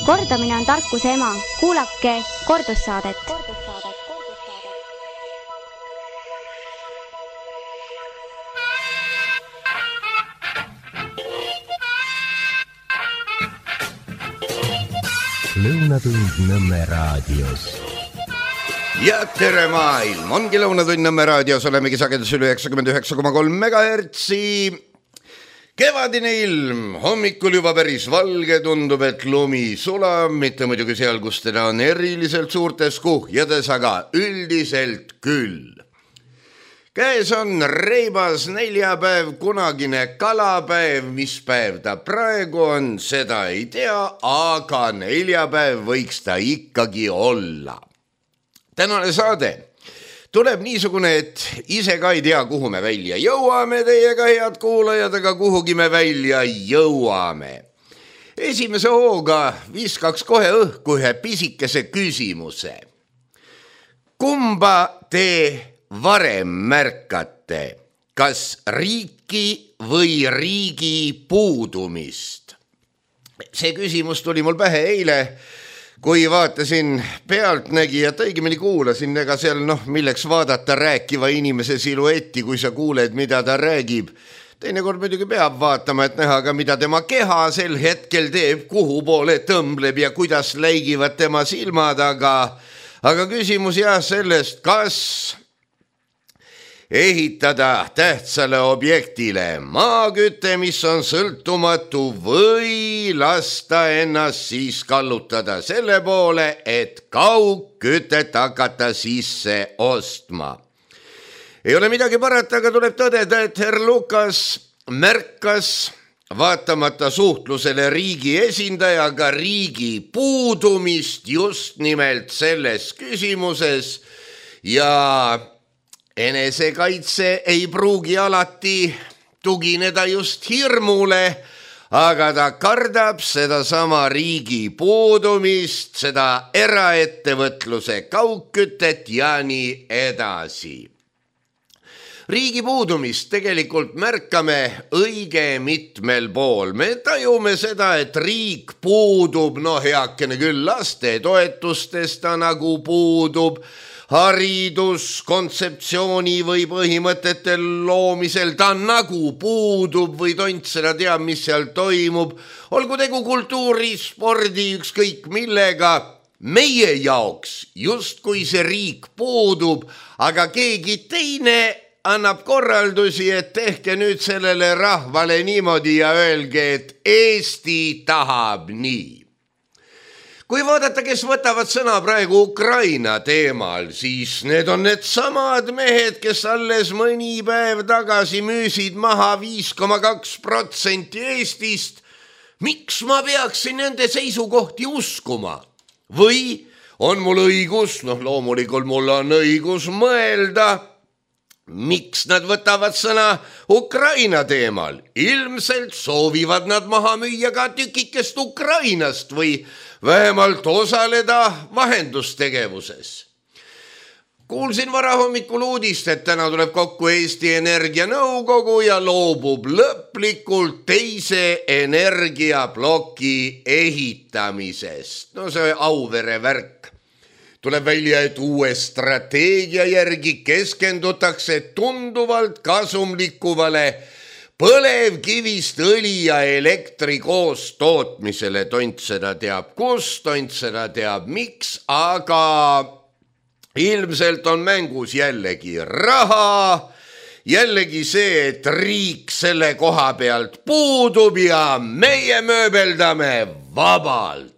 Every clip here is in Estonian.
Kordamine on tarkuse ema. Kuulake kordussaadet. Lõunatund Nõmme raadios. Ja tere maailm, ongi Lõunatund Nõmme raadios, olemegi sagedus üle 99,3 MHz. Kevadine ilm, hommikul juba päris valge, tundub, et lumi sulab, mitte muidugi seal, kus teda on eriliselt suurtes kuhjades, aga üldiselt küll. Käes on reibas neljapäev, kunagine kalapäev, mis päev ta praegu on, seda ei tea, aga neljapäev võiks ta ikkagi olla. Tänane saade tuleb niisugune, et ise ka ei tea, kuhu me välja jõuame teiega, head kuulajad, aga kuhugi me välja jõuame. Esimese hooga viskaks kohe õhku ühe pisikese küsimuse. Kumba te varem märkate, kas riiki või riigi puudumist? See küsimus tuli mul pähe eile, kui vaatasin Pealtnägijat, õigemini kuulasin, ega seal milleks vaadata rääkiva inimese siluetti, kui sa kuuled, mida ta räägib. Teinekord muidugi peab vaatama, et näha ka, mida tema keha sel hetkel teeb, kuhu poole tõmbleb ja kuidas läigivad tema silmad, aga küsimus jah sellest, kas ehitada tähtsale objektile maaküte, mis on sõltumatu, või lasta ennast siis kallutada selle poole, et kaugkütet hakata sisse ostma. Ei ole midagi parata, aga tuleb tõdeda, et herr Lukas märkas vaatamata suhtlusele riigi esindajaga riigi puudumist just nimelt selles küsimuses ja enesekaitse ei pruugi alati tugineda just hirmule, aga ta kardab sedasama riigi puudumist, seda eraettevõtluse kaugkütet ja nii edasi. Riigi puudumist tegelikult märkame õige mitmel pool. Me tajume seda, et riik puudub, heakene küll laste toetustest ta nagu puudub, haridus, kontseptsiooni või põhimõtete loomisel ta nagu puudub või tont seda teab, mis seal toimub. Olgu tegu kultuuri, spordi, ükskõik millega. Meie jaoks justkui see riik puudub, aga keegi teine annab korraldusi, et tehke nüüd sellele rahvale niimoodi ja öelge, et Eesti tahab nii. Kui vaadata, kes võtavad sõna praegu Ukraina teemal, siis need on need samad mehed, kes alles mõni päev tagasi müüsid maha 5,2% Eestist. Miks ma peaksin nende seisukohti uskuma? Või on mul õigus, loomulikult mul on õigus mõelda, miks nad võtavad sõna Ukraina teemal? Ilmselt soovivad nad maha müüa ka tükikest Ukrainast või vähemalt osaleda vahendustegevuses. Kuulsin varahommikul uudist, et täna tuleb kokku Eesti Energia nõukogu ja loobub lõplikult teise energiaploki ehitamisest. See Auvere värk. Tuleb välja, et uue strateegia järgi keskendutakse tunduvalt kasumlikuvale põlevkivist õli ja elektri koos tootmisele. Tont seda teab kus, tont seda teab miks, aga ilmselt on mängus jällegi raha, jällegi see, et riik selle koha pealt puudub ja meie mööbeldame vabalt.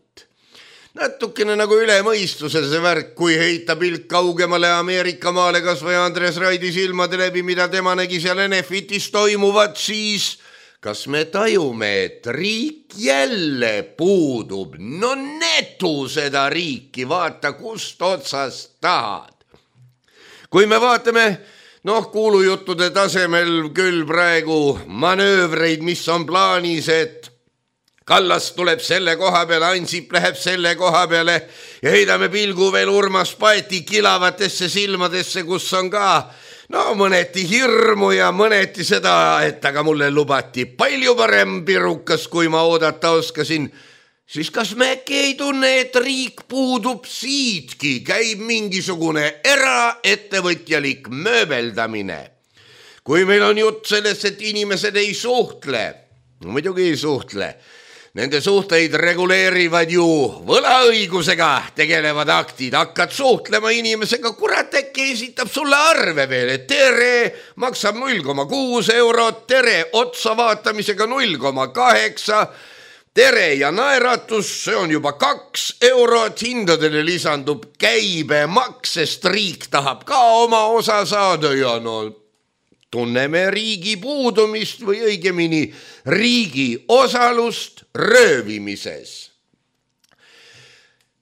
Natukene nagu üle mõistuse see värk, kui heita pilk kaugemale Ameerika maale kas või Andres Raidi silmade läbi, mida tema nägi seal Enefitis toimuvat, siis kas me tajume, et riik jälle puudub? Netu seda riiki, vaata kust otsast tahad. Kui me vaatame, kuulujuttude tasemel küll praegu manöövreid, mis on plaanis, et Kallas tuleb selle koha peale, Ansip läheb selle koha peale ja heidame pilgu veel Urmas Paeti kilavatesse silmadesse, kus on ka mõneti hirmu ja mõneti seda, et aga mulle lubati palju parem pirukas, kui ma oodata oskasin. siis kas me äkki ei tunne, et riik puudub siitki, käib mingisugune eraettevõtjalik mööbeldamine. Kui meil on jutt sellest, et inimesed ei suhtle, no muidugi ei suhtle, nende suhteid reguleerivad ju võlaõigusega tegelevad aktid, hakkad suhtlema inimesega, kurat äkki esitab sulle arve veel, et tere maksab 0,6 eurot, tere otsa vaatamisega 0,8, tere ja naeratus, see on juba 2 eurot, hindadele lisandub käibemaks, sest riik tahab ka oma osa saada ja no tunneme riigi puudumist või õigemini riigi osalust röövimises.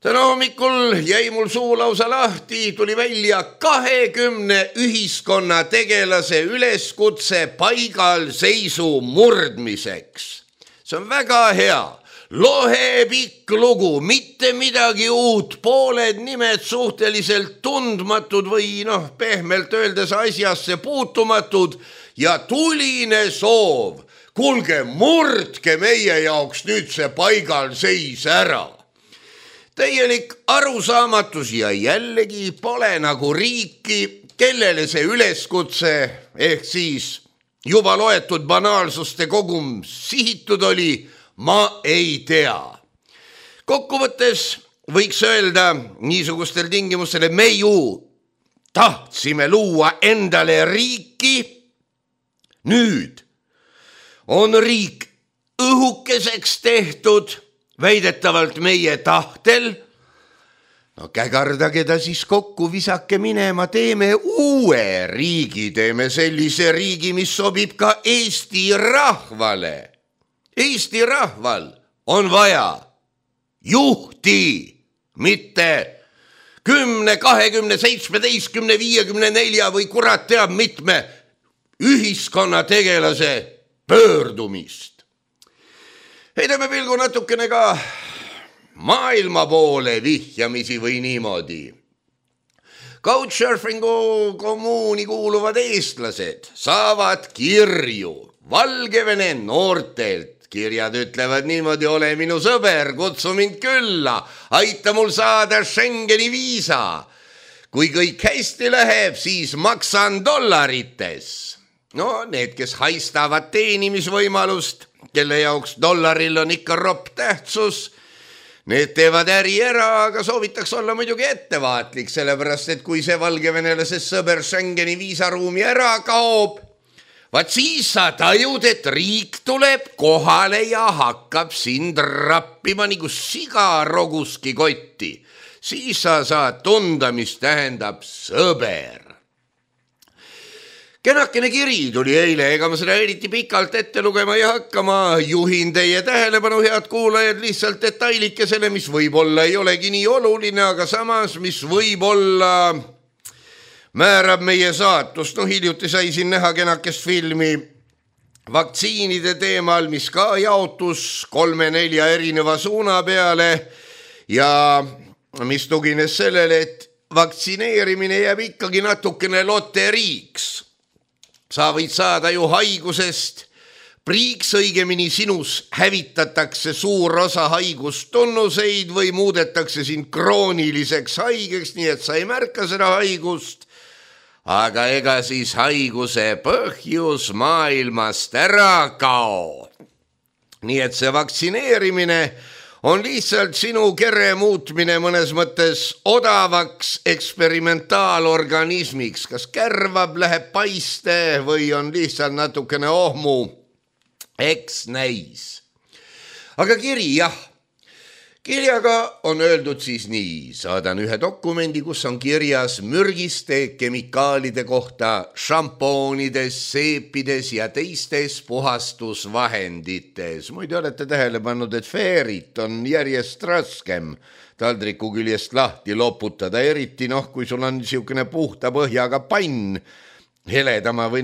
Täna hommikul jäi mul suu lausa lahti, tuli välja 20 ühiskonna tegelase üleskutse paigalseisu murdmiseks. See on väga hea, lohepikk lugu, mitte midagi uut, pooled nimed suhteliselt tundmatud või pehmelt öeldes asjasse puutumatud ja tuline soov. Kuulge, murdke meie jaoks nüüd see paigalseis ära. Täielik arusaamatus ja jällegi pole nagu riiki, kellele see üleskutse ehk siis juba loetud banaalsuste kogum sihitud oli, ma ei tea. Kokkuvõttes võiks öelda niisugustel tingimustel, et me ju tahtsime luua endale riiki. Nüüd on riik õhukeseks tehtud, väidetavalt meie tahtel. No kägardage ta siis kokku, visake minema, teeme uue riigi, teeme sellise riigi, mis sobib ka Eesti rahvale. Eesti rahval on vaja juhti, mitte 10, 20, 17, 54 või kurat teab mitme ühiskonna tegelase pöördumist. Heidame pilgu natukene ka maailma poole vihjamisi või niimoodi. Couchsurfingu kommuuni kuuluvad eestlased saavad kirju Valgevene noortelt. Kirjad ütlevad niimoodi, ole minu sõber, kutsu mind külla, aita mul saada Schengeni viisa. Kui kõik hästi läheb, siis maksan dollarites. No need, kes haistavad teenimisvõimalust, kelle jaoks dollaril on ikka ropp tähtsus, need teevad äri ära, aga soovitaks olla muidugi ettevaatlik, sellepärast et kui see valgevenelase sõber Schengeni viisaruumi ära kaob, vaat siis sa tajud, et riik tuleb kohale ja hakkab sind rappima nagu siga roguski kotti. Siis sa saad tunda, mis tähendab sõber. Kenakene kiri tuli eile, ega ma seda eriti pikalt ette lugema ei hakka, ma juhin teie tähelepanu, head kuulajad, lihtsalt detailikesele, mis võib-olla ei olegi nii oluline, aga samas, mis võib-olla määrab meie saatust. No hiljuti sai siin näha kenakest filmi vaktsiinide teemal, mis ka jaotus 3-4 erineva suuna peale ja mis tugines sellele, et vaktsineerimine jääb ikkagi natukene loteriiks. Sa võid saada ju haigusest priiks, õigemini sinus hävitatakse suur osa haigustunnuseid või muudetakse sind krooniliseks haigeks, nii et sa ei märka seda haigust. Aga ega siis haiguse põhjus maailmast ära kao. Nii et see vaktsineerimine on lihtsalt sinu kere muutmine mõnes mõttes odavaks eksperimentaalorganismiks. Kas kärvab, läheb paiste või on lihtsalt natukene ohmu? Eks näis. Aga kiri, jah. Kirjaga on öeldud siis nii. Saadan ühe dokumendi, kus on kirjas mürgiste kemikaalide kohta šampoonides, seepides ja teistes puhastusvahendites. Muide olete tähele pannud, et feerit on järjest raskem taldriku küljest lahti loputada, eriti kui sul on niisugune puhta põhjaga pann, heledama või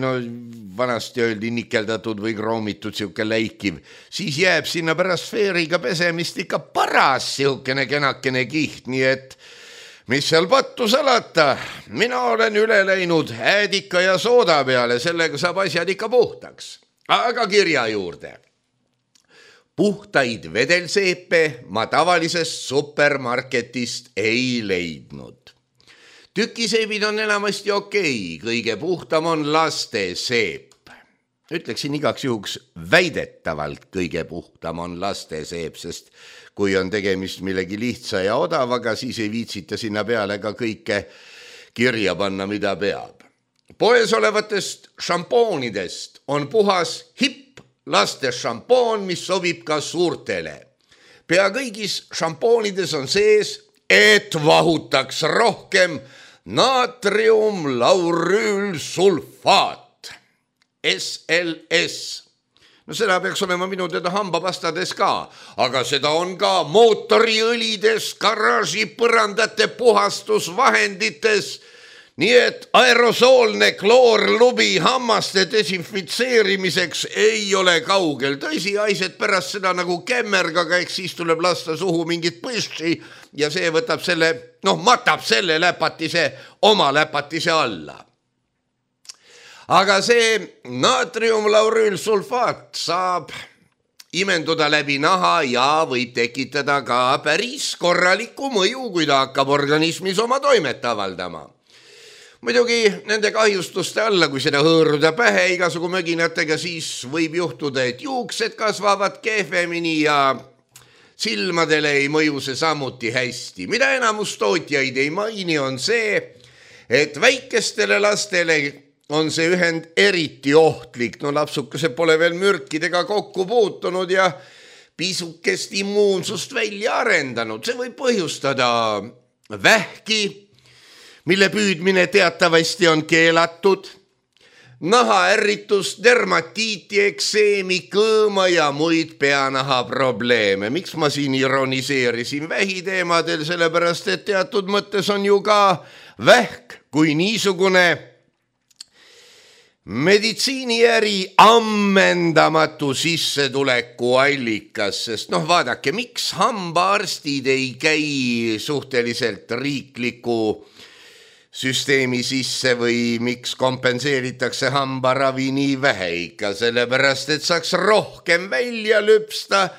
vanasti öeldi nikeldatud või kroomitud siuke läikiv, siis jääb sinna pärast feeriga pesemist ikka paras siukene kenakene kiht, nii et mis seal pattu salata, mina olen üle läinud äädika ja sooda peale, sellega saab asjad ikka puhtaks. Aga kirja juurde. puhtaid vedelseepe ma tavalisest supermarketist ei leidnud. Tükiseebid on enamasti okei, kõige puhtam on laste seep. Ütleksin igaks juhuks väidetavalt kõige puhtam on laste seep, sest kui on tegemist millegi lihtsa ja odavaga, siis ei viitsita sinna peale ka kõike kirja panna, mida peab. Poes olevatest šampoonidest on puhas hipp laste šampoon, mis sobib ka suurtele. Pea kõigis šampoonides on sees, et vahutaks rohkem naatriumlaurüülsulfaat, SLS. No seda peaks olema minu teada hambapastades ka, aga seda on ka mootoriõlides, garaaži põrandate puhastusvahendites, nii et aerosoolne kloorlubi hammaste desinfitseerimiseks ei ole kaugel. Tõsi, aised pärast seda nagu kämmergaga, eks siis tuleb lasta suhu mingit põssi ja see võtab selle, matab selle läpatise oma läpatise alla. Aga see naatriumlaurüülsulfaat saab imenduda läbi naha ja võib tekitada ka päris korraliku mõju, kui ta hakkab organismis oma toimet avaldama. Muidugi nende kahjustuste alla, kui seda hõõruda pähe igasugu möginatega, siis võib juhtuda, et juuksed kasvavad kehvemini ja silmadele ei mõju see samuti hästi. Mida enamus tootjaid ei maini on see, et väikestele lastele on see ühend eriti ohtlik. Lapsukesed pole veel mürkidega kokku puutunud ja pisukest immuunsust välja arendanud. See võib põhjustada vähki, mille püüdmine teatavasti on keelatud, nahaärritus, dermatiiti, ekseemi, kõõma ja muid peanaha probleeme. Miks ma siin ironiseerisin vähiteemadel, sellepärast et teatud mõttes on ju ka vähk kui niisugune meditsiiniäri ammendamatu sissetuleku allikas, sest vaadake, miks hambaarstid ei käi suhteliselt riikliku süsteemi sisse või miks kompenseeritakse hambaravi nii vähe ikka, sellepärast et saaks rohkem välja lüpsta,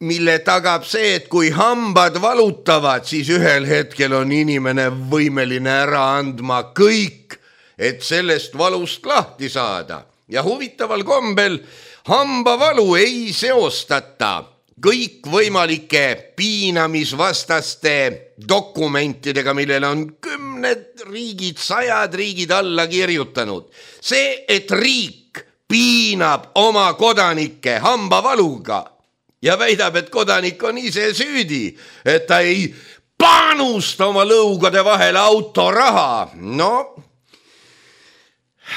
mille tagab see, et kui hambad valutavad, siis ühel hetkel on inimene võimeline ära andma kõik, et sellest valust lahti saada. Ja huvitaval kombel hambavalu ei seostata kõikvõimalike piinamisvastaste dokumentidega, millele on 10 riigid, 100 riigid alla kirjutanud. See, et riik piinab oma kodanikke hambavaluga ja väidab, et kodanik on ise süüdi, et ta ei panusta oma lõugade vahele autoraha.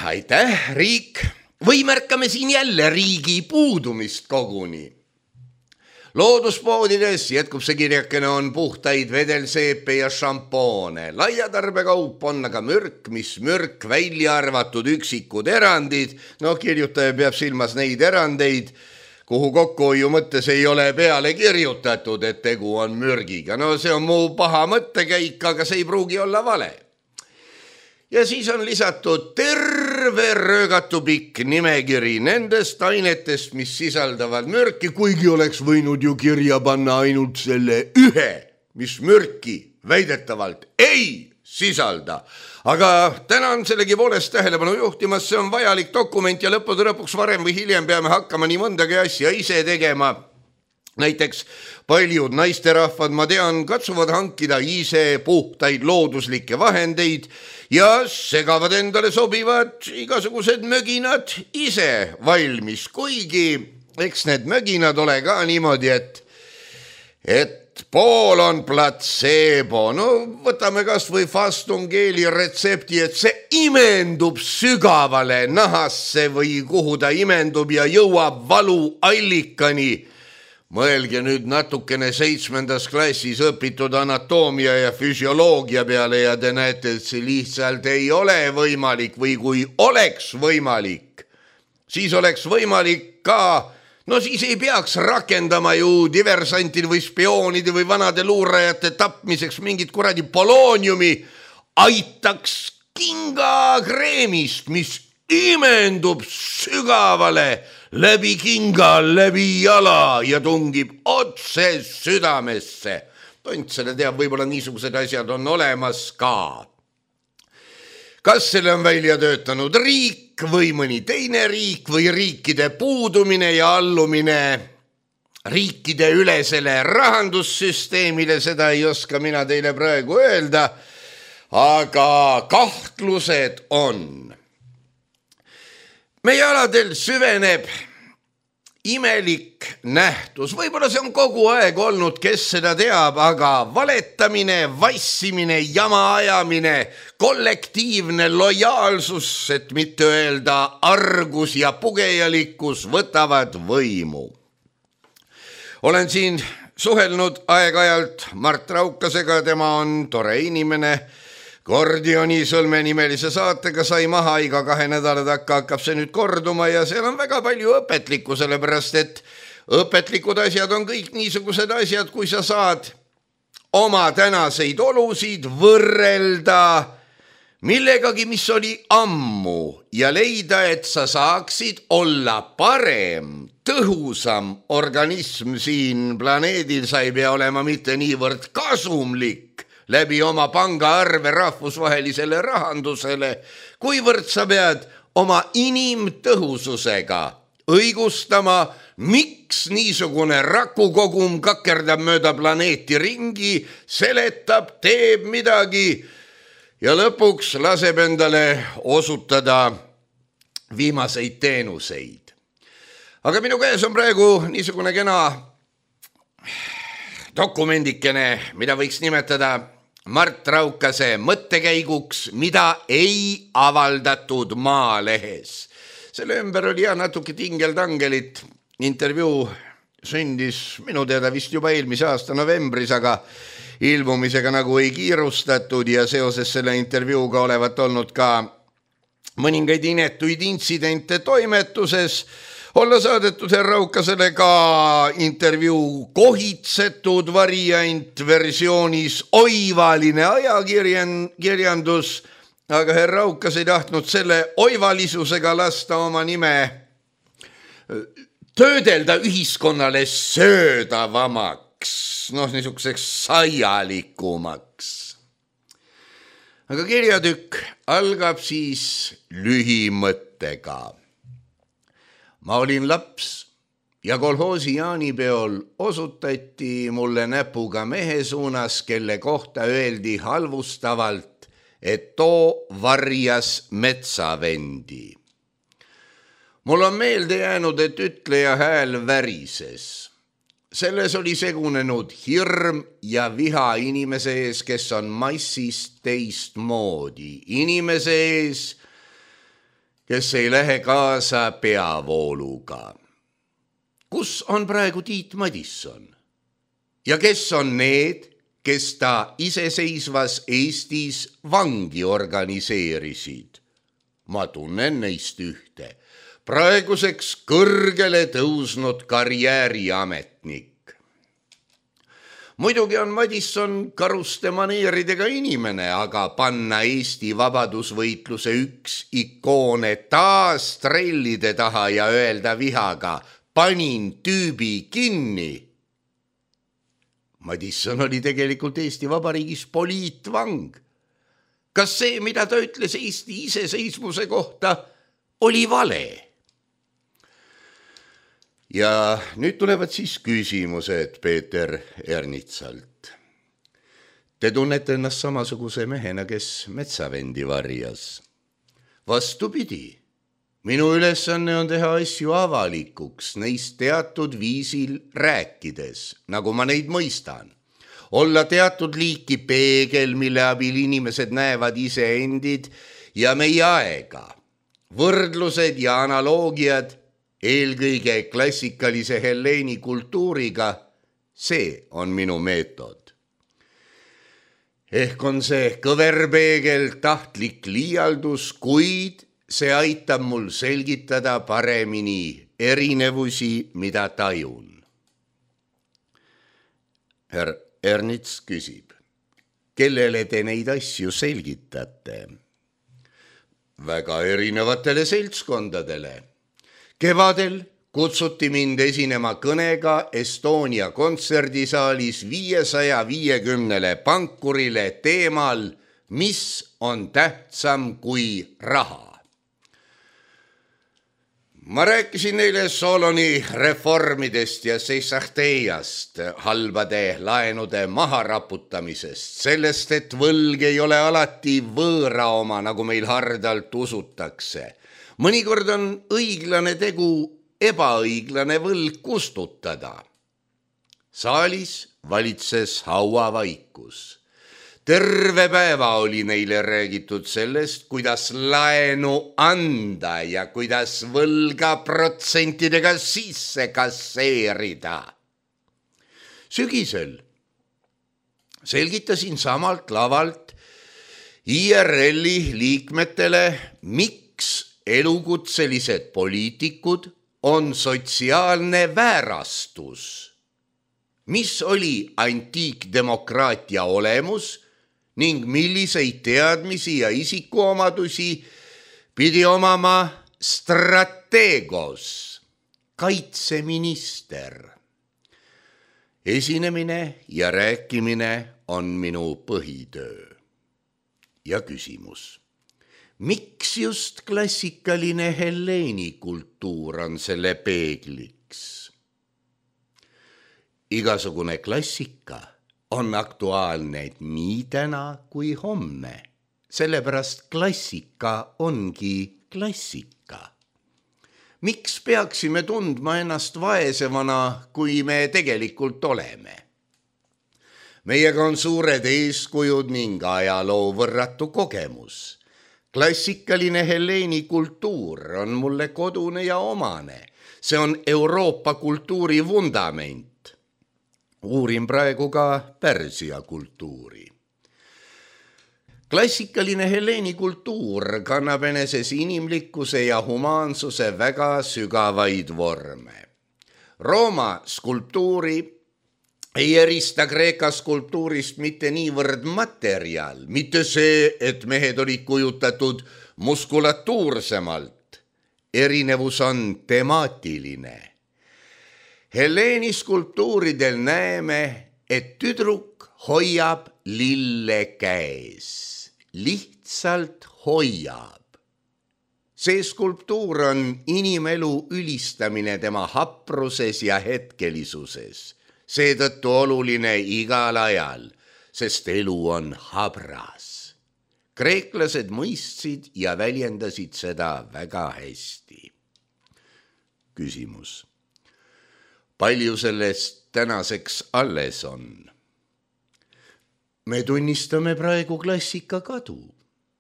Aitäh, riik. Või märkame siin jälle riigi puudumist koguni. Looduspoodides jätkub see kirjakene on puhtaid vedelseepe ja šampoone. Laiatarbekaup on aga mürk, mis mürk välja arvatud üksikud erandid. Kirjutaja peab silmas neid erandeid, kuhu kokkuhoiu mõttes ei ole peale kirjutatud, et tegu on mürgiga. See on mu paha mõttekäik, aga see ei pruugi olla vale. Ja siis on lisatud terve röögatu pikk nimekiri nendest ainetest, mis sisaldavad mürki, kuigi oleks võinud ju kirja panna ainult selle ühe, mis mürki väidetavalt ei sisalda. Aga tänan sellegi poolest tähelepanu juhtimas, see on vajalik dokument ja lõppude lõpuks varem või hiljem peame hakkama nii mõndagi asja ise tegema. Näiteks paljud naisterahvad, ma tean, katsuvad hankida ise puhtaid looduslikke vahendeid ja segavad endale sobivad igasugused möginad ise valmis, kuigi eks need möginad ole ka niimoodi, et pool on platseebo. Võtame kas või Fastungeeli retsepti, et see imendub sügavale nahasse või kuhu ta imendub ja jõuab valuallikani. Mõelge nüüd natukene 7. klassis õpitud anatoomia ja füsioloogia peale ja te näete, et see lihtsalt ei ole võimalik või kui oleks võimalik, siis oleks võimalik ka, siis ei peaks rakendama ju diversantide või spioonide või vanade luurajate tapmiseks mingit kuradi polooniumi, aitaks kingakreemist, mis imendub sügavale läbi kinga, läbi jala ja tungib otse südamesse. Tont selle teab, võib-olla niisugused asjad on olemas ka. Kas selle on välja töötanud riik või mõni teine riik või riikide puudumine ja allumine riikide ülesele rahandussüsteemile, seda ei oska mina teile praegu öelda, aga kahtlused on. Meie aladel süveneb imelik nähtus, võib-olla see on kogu aeg olnud, kes seda teab, aga valetamine, vassimine, jama ajamine, kollektiivne lojaalsus, et mitte öelda argus ja pugejalikkus võtavad võimu. Olen siin suhelnud aeg-ajalt Mart Raukasega, tema on tore inimene, Gordioni sõlmenimelise saatega sai maha, iga 2 nädala takka hakkab see nüüd korduma ja seal on väga palju õpetlikku, sellepärast et õpetlikud asjad on kõik niisugused asjad, kui sa saad oma tänaseid olusid võrrelda millegagi, mis oli ammu ja leida, et sa saaksid olla parem, tõhusam organism siin planeedil, sa ei pea olema mitte niivõrd kasumlik läbi oma pangaarve rahvusvahelisele rahandusele, kuivõrd sa pead oma inimtõhususega õigustama, miks niisugune rakukogum kakerdab mööda planeeti ringi, seletab, teeb midagi ja lõpuks laseb endale osutada viimaseid teenuseid. Aga minu käes on praegu niisugune kena dokumendikene, mida võiks nimetada Mart Raukase mõttekäiguks, mida ei avaldatud Maalehes. Selle ümber oli natuke tingeltangelit. Intervjuu sündis minu teada vist juba eelmise aasta novembris, aga ilmumisega nagu ei kiirustatud ja seoses selle intervjuuga olevat olnud ka mõningaid inetuid intsidente toimetuses. Olla saadetud herra Raukasele ka intervjuu kohitsetud variant versioonis oivaline ajakirjandus, aga herra Raukas ei tahtnud selle oivalisusega lasta oma nime töödelda ühiskonnale söödavamaks, niisuguseks saialikumaks. Aga kirjatükk algab siis lühimõttega. Ma olin laps ja kolhoosi jaanipeol osutati mulle näpuga mehe suunas, kelle kohta öeldi halvustavalt, et too varjas metsavendi. Mul on meelde jäänud, et ütleja hääl värises. Selles oli segunenud hirm ja viha inimese ees, kes on massist teistmoodi. Inimese ees, kes ei lähe kaasa peavooluga. Kus on praegu Tiit Madisson? Ja kes on need, kes ta iseseisvas Eestis vangi organiseerisid? Ma tunnen neist ühte. Praeguseks kõrgele tõusnud karjääriametnik. Muidugi on Madisson karuste maneeridega inimene, aga panna Eesti vabadusvõitluse üks ikoone taas trellide taha ja öelda vihaga, panin tüübi kinni. Madisson oli tegelikult Eesti Vabariigis poliitvang. Kas see, mida ta ütles Eesti iseseisvuse kohta, oli vale? Ja nüüd tulevad siis küsimused Peeter Ernitsalt. Te tunnete ennast samasuguse mehena, kes metsavendi varjas. Vastupidi, minu ülesanne on teha asju avalikuks, neist teatud viisil rääkides, nagu ma neid mõistan. Olla teatud liiki peegel, mille abil inimesed näevad iseendid ja meie aega. Võrdlused ja analoogiad eelkõige klassikalise helleeni kultuuriga, see on minu meetod. Ehk on see kõverpeegel tahtlik liialdus, kuid see aitab mul selgitada paremini erinevusi, mida tajun. Herr Ernits küsib, kellele te neid asju selgitate? Väga erinevatele seltskondadele. Kevadel, kutsuti mind esinema kõnega Estonia kontserdisaalis 550 pankurile teemal, mis on tähtsam kui raha. Ma rääkisin neile Soloni reformidest ja Seissahteiast, halbade laenude maharaputamisest, sellest, et võlg ei ole alati võõra oma, nagu meil hardalt usutakse. Mõnikord on õiglane tegu ebaõiglane võlg kustutada. Saalis valitses hauavaikus. Terve päeva oli neile räägitud sellest, kuidas laenu anda ja kuidas võlga protsentidega sisse kasseerida. Sügisel selgitasin samalt lavalt IRL-i liikmetele, miks elukutselised poliitikud on sotsiaalne väärastus, mis oli antiikdemokraatia olemus ning milliseid teadmisi ja isikuomadusi pidi omama strateegos, kaitseminister. Esinemine ja rääkimine on minu põhitöö. Ja küsimus. Miks just klassikaline helleeni kultuur on selle peegliks? Igasugune klassika on aktuaalne nii täna kui homme, sellepärast klassika ongi klassika. Miks peaksime tundma ennast vaesevana, kui me tegelikult oleme? Meiega on suured eeskujud ning ajaloo võrratu kogemus. Klassikaline helleeni kultuur on mulle kodune ja omane. See on Euroopa kultuuri vundament. Uurin praegu ka Pärsia kultuuri. Klassikaline helleeni kultuur kannab eneses inimlikkuse ja humaansuse väga sügavaid vorme. Rooma skulptuuri ei erista Kreeka skulptuurist mitte niivõrd materjal, mitte see, et mehed olid kujutatud muskulatuursemalt. Erinevus on temaatiline. Helleeni skulptuuridel näeme, et tüdruk hoiab lille käes. Lihtsalt hoiab. See skulptuur on inimelu ülistamine tema hapruses ja hetkelisuses. Seetõttu oluline igal ajal, sest elu on habras. Kreeklased mõistsid ja väljendasid seda väga hästi. Küsimus. Palju sellest tänaseks alles on? Me tunnistame praegu klassika kadu.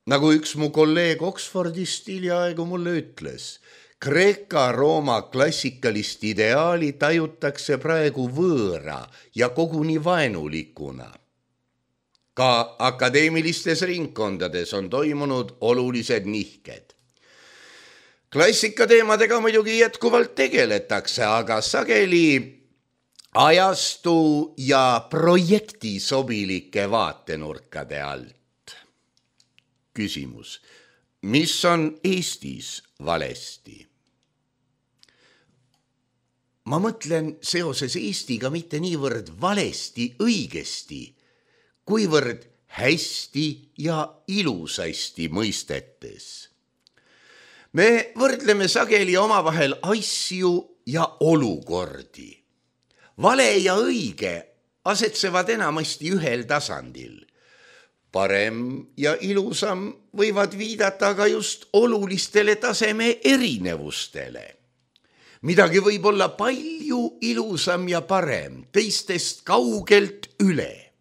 Nagu üks mu kolleeg Oxfordist hiljaaegu mulle ütles, Kreeka-Rooma klassikalist ideaali tajutakse praegu võõra ja koguni vaenulikuna. Ka akadeemilistes ringkondades on toimunud olulised nihked. Klassika teemadega muidugi jätkuvalt tegeletakse, aga sageli ajastu ja projekti sobilike vaatenurkade alt. Küsimus. Mis on Eestis valesti? Ma mõtlen seoses Eestiga mitte niivõrd valesti õigesti, kuivõrd hästi ja ilusasti mõistetes. Me võrdleme sageli omavahel asju ja olukordi. Vale ja õige asetsevad enamasti ühel tasandil. Parem ja ilusam võivad viidata aga just olulistele taseme erinevustele. Midagi võib olla palju ilusam ja parem, teistest kaugelt üle.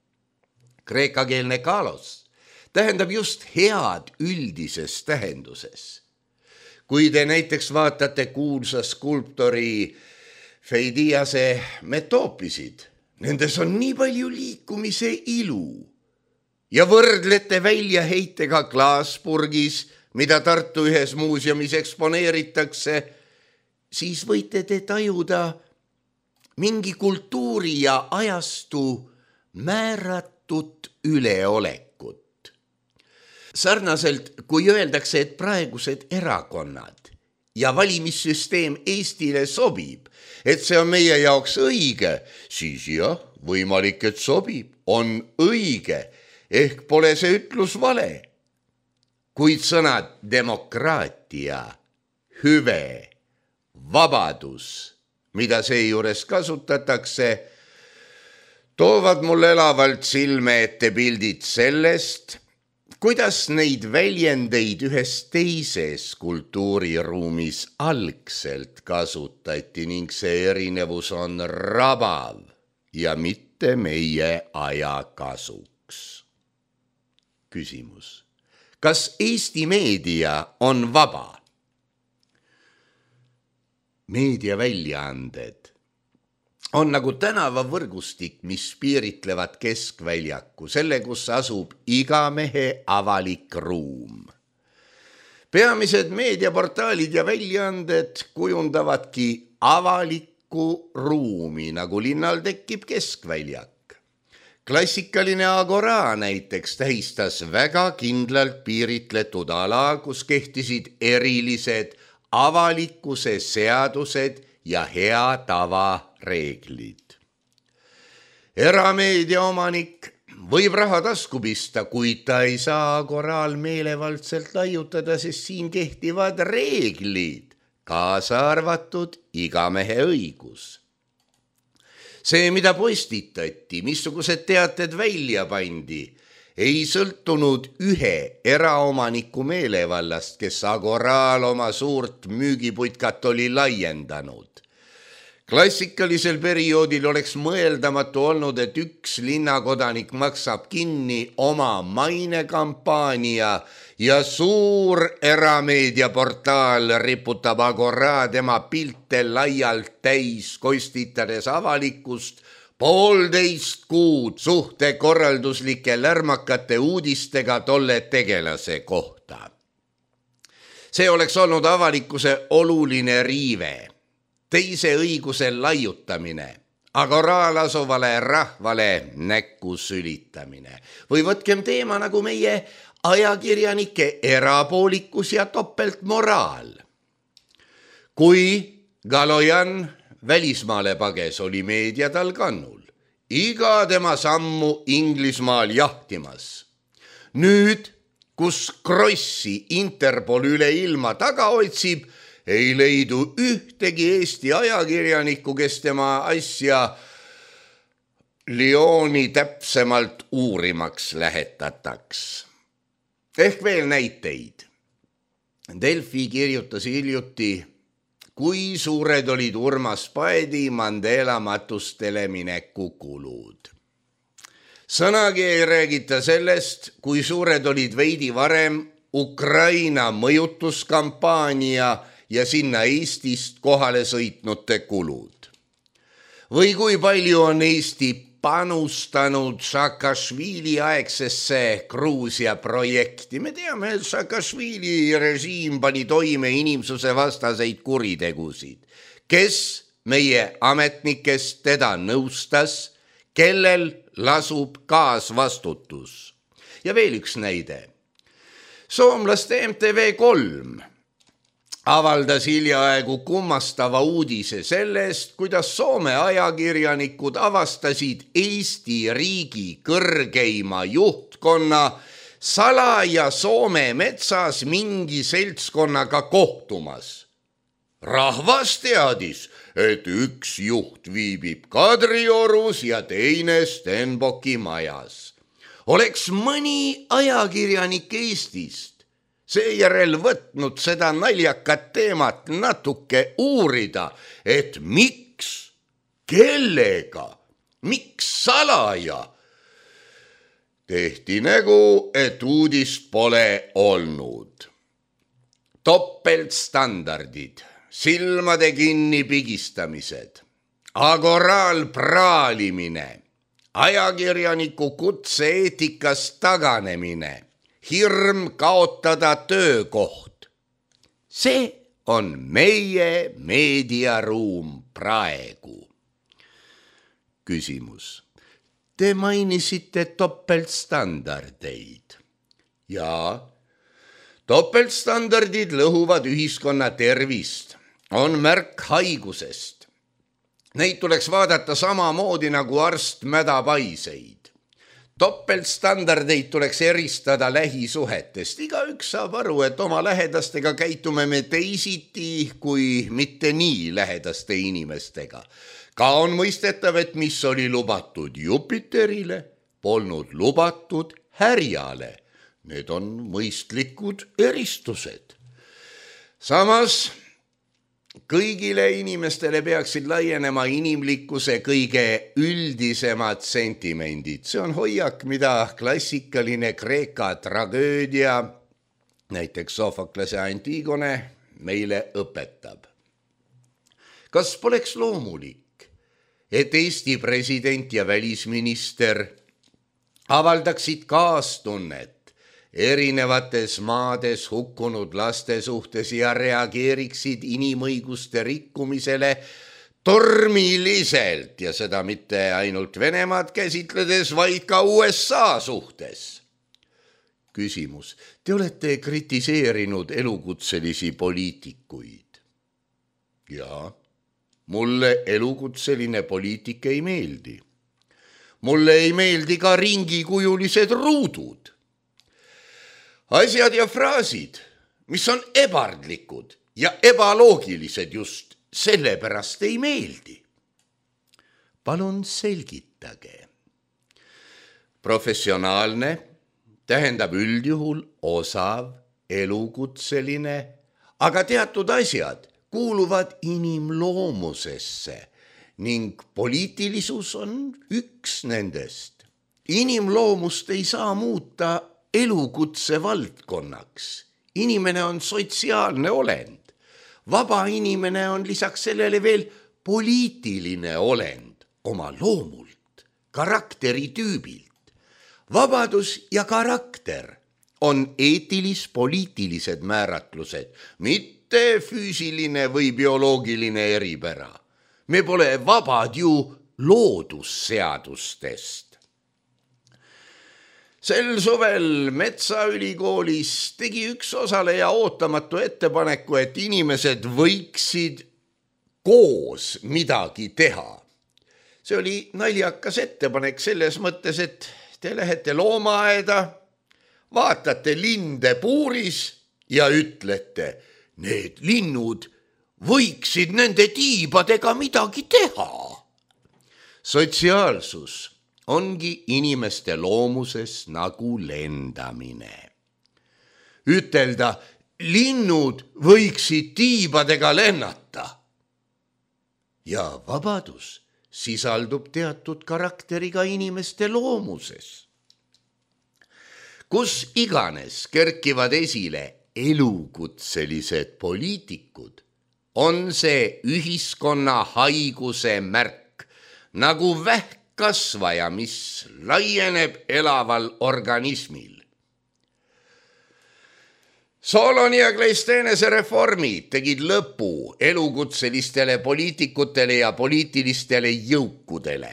Kreekakeelne kalos tähendab just head üldises tähenduses. Kui te näiteks vaatate kuulsa skulptori Feidiase metoopisid, nendes on nii palju liikumise ilu ja võrdlete väljaheitega klaaspurgis, mida Tartu ühes muuseumis eksponeeritakse, siis võite te tajuda mingi kultuuri ja ajastu määratut üleolekut. Sarnaselt, kui öeldakse, et praegused erakonnad ja valimissüsteem Eestile sobib, et see on meie jaoks õige, siis jah, võimalik, et sobib, on õige, ehk pole see ütlus vale. Kuid sõnad demokraatia, hüve, vabadus, mida seejuures kasutatakse, toovad mul elavalt silme ette pildid sellest, kuidas neid väljendeid ühes teises kultuuriruumis algselt kasutati ning see erinevus on rabav ja mitte meie aja kasuks. Küsimus. Kas Eesti meedia on vaba? Meediaväljaanded on nagu tänavavõrgustik, mis piiritlevad keskväljaku, selle, kus asub iga mehe avalik ruum. Peamised meediaportaalid ja väljaanded kujundavadki avalikku ruumi, nagu linnal tekib keskväljak. Klassikaline Agora näiteks tähistas väga kindlalt piiritletud ala, kus kehtisid erilised avalikkuse seadused ja hea tava reeglid. Erameedia omanik võib raha tasku pista, kuid ta ei saa Agoral meelevaldselt laiutada, sest siin kehtivad reeglid, kaasa arvatud iga mehe õigus. See, mida postitati, missugused teated välja pandi, ei sõltunud ühe eraomaniku meelevallast, kes Agoral oma suurt müügiputkat oli laiendanud. Klassikalisel perioodil oleks mõeldamatu olnud, et üks linnakodanik maksab kinni oma mainekampaania ja suur erameediaportaal riputab Agora tema pilte laialt täis, kostitades avalikkust 1,5 kuud suhtekorralduslike lärmakate uudistega tolle tegelase kohta. See oleks olnud avalikkuse oluline riive. Teise õiguse laiutamine, Agoral asuvale rahvale näkku sülitamine. Või võtkem teema nagu meie ajakirjanike erapoolikus ja topeltmoraal. Kui Galojan välismaale pages, oli meedia tal kannul. Iga tema sammu Inglismaal jahtimas. Nüüd, kus Krossi Interpol üle ilma taga otsib, ei leidu ühtegi Eesti ajakirjanikku, kes tema asja Lyoni täpsemalt uurimaks lähetataks. Ehk veel näiteid. Delfi kirjutas hiljuti, kui suured olid Urmas Paedi Mandela matustele mineku kulud. Sõnagi ei räägita sellest, kui suured olid veidi varem Ukraina mõjutuskampaania ja sinna Eestist kohale sõitnute kulud. Või kui palju on Eesti panustanud Saakašvili aegsesse Gruusia projekti. Me teame, et Saakašvili režiim pani toime inimsuse vastaseid kuritegusid. Kes meie ametnikest teda nõustas, kellel lasub kaasvastutus? Ja veel üks näide. Soomlaste MTV3 avaldas hiljaaegu kummastava uudise sellest, kuidas Soome ajakirjanikud avastasid Eesti riigi kõrgeima juhtkonna salaja Soome metsas mingi seltskonnaga kohtumas. Rahvas teadis, et üks juht viibib Kadriorus ja teine Stenbocki majas. Oleks mõni ajakirjanik Eestist seejärel võtnud seda naljakat teemat natuke uurida, et miks, kellega, miks salaja. Tehti nägu, et uudist pole olnud. Topeltstandardid, silmade kinni pigistamised, Agoral praalimine, ajakirjaniku kutse-eetikast taganemine, hirm kaotada töökoht. See on meie meediaruum praegu. Küsimus. Te mainisite topeltstandardeid. Ja Topeltstandardid lõhuvad ühiskonna tervist, on märk haigusest. Neid tuleks vaadata samamoodi nagu arst mädapaiseid. Topeltstandardeid tuleks eristada lähisuhetest. Igaüks saab aru, et oma lähedastega käitume me teisiti kui mitte nii lähedaste inimestega. Ka on mõistetav, et mis oli lubatud Jupiterile, polnud lubatud Härjale. Need on mõistlikud eristused. Samas kõigile inimestele peaksid laienema inimlikkuse kõige üldisemad sentimendid. See on hoiak, mida klassikaline Kreeka tragöödia, näiteks Sofoklase Antigone, meile õpetab. Kas poleks loomulik, et Eesti president ja välisminister avaldaksid kaastunnet erinevates maades hukkunud laste suhtes ja reageeriksid inimõiguste rikkumisele tormiliselt ja seda mitte ainult Venemaad käsitledes, vaid ka USA suhtes? Küsimus. Te olete kritiseerinud elukutselisi poliitikuid. Jaa, mulle elukutseline poliitik ei meeldi. Mulle ei meeldi ka ringikujulised ruudud. Asjad ja fraasid, mis on ebardlikud ja ebaloogilised just sellepärast ei meeldi. Palun selgitage. Professionaalne tähendab üldjuhul osav, elukutseline, aga teatud asjad kuuluvad inimloomusesse ning poliitilisus on üks nendest. Inimloomust ei saa muuta elukutse valdkonnaks. Inimene on sotsiaalne olend. Vaba inimene on lisaks sellele veel poliitiline olend oma loomult, karakteritüübilt. Vabadus ja karakter on eetilis-poliitilised määratlused, mitte füüsiline või bioloogiline eripära. Me pole vabad ju loodusseadustest. Sel suvel Metsaülikoolis tegi üks osaleja ootamatu ettepaneku, et inimesed võiksid koos midagi teha. See oli naljakas ettepanek selles mõttes, et te lähete loomaaeda, vaatate linde puuris ja ütlete, need linnud võiksid nende tiibadega midagi teha. Sotsiaalsus ongi inimeste loomuses nagu lendamine. Ütelda, linnud võiksid tiibadega lennata. Ja vabadus sisaldub teatud karakteriga inimeste loomuses. Kus iganes kerkivad esile elukutselised poliitikud, on see ühiskonna haiguse märk, nagu vähkkasvaja, mis laieneb elaval organismil. Soloni ja Kleisteenese reformid tegid lõpu elukutselistele poliitikutele ja poliitilistele jõukudele.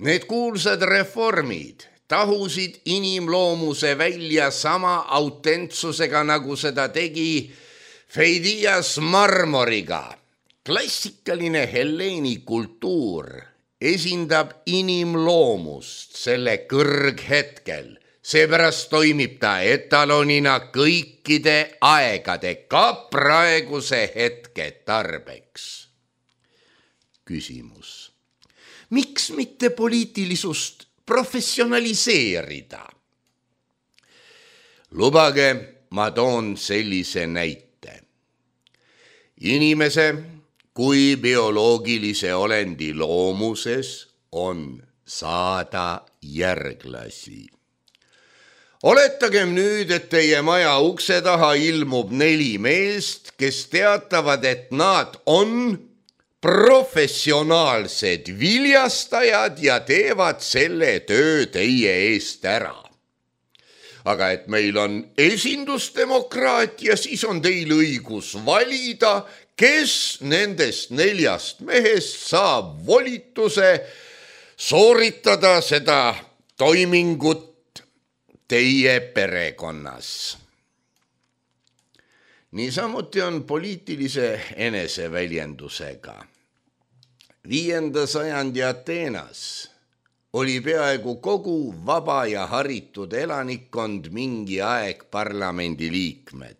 Need kuulsad reformid tahusid inimloomuse välja sama autentsusega, nagu seda tegi Feidias marmoriga. Klassikaline helleeni kultuur esindab inimloomust selle kõrghetkel. Seepärast toimib ta etalonina kõikide aegade, ka praeguse hetke tarbeks. Küsimus. Miks mitte poliitilisust professionaliseerida? Lubage, ma toon sellise näite. Inimese kui bioloogilise olendi loomuses on saada järglasi. Oletagem nüüd, et teie maja ukse taha ilmub 4 meest, kes teatavad, et nad on professionaalsed viljastajad ja teevad selle töö teie eest ära. Aga et meil on esindusdemokraatia, siis on teil õigus valida, kes nendest 4 mehest saab volituse sooritada seda toimingut teie perekonnas. Niisamuti on poliitilise eneseväljendusega. 5. sajandi Ateenas oli peaaegu kogu vaba ja haritud elanikkond mingi aeg parlamendi liikmed.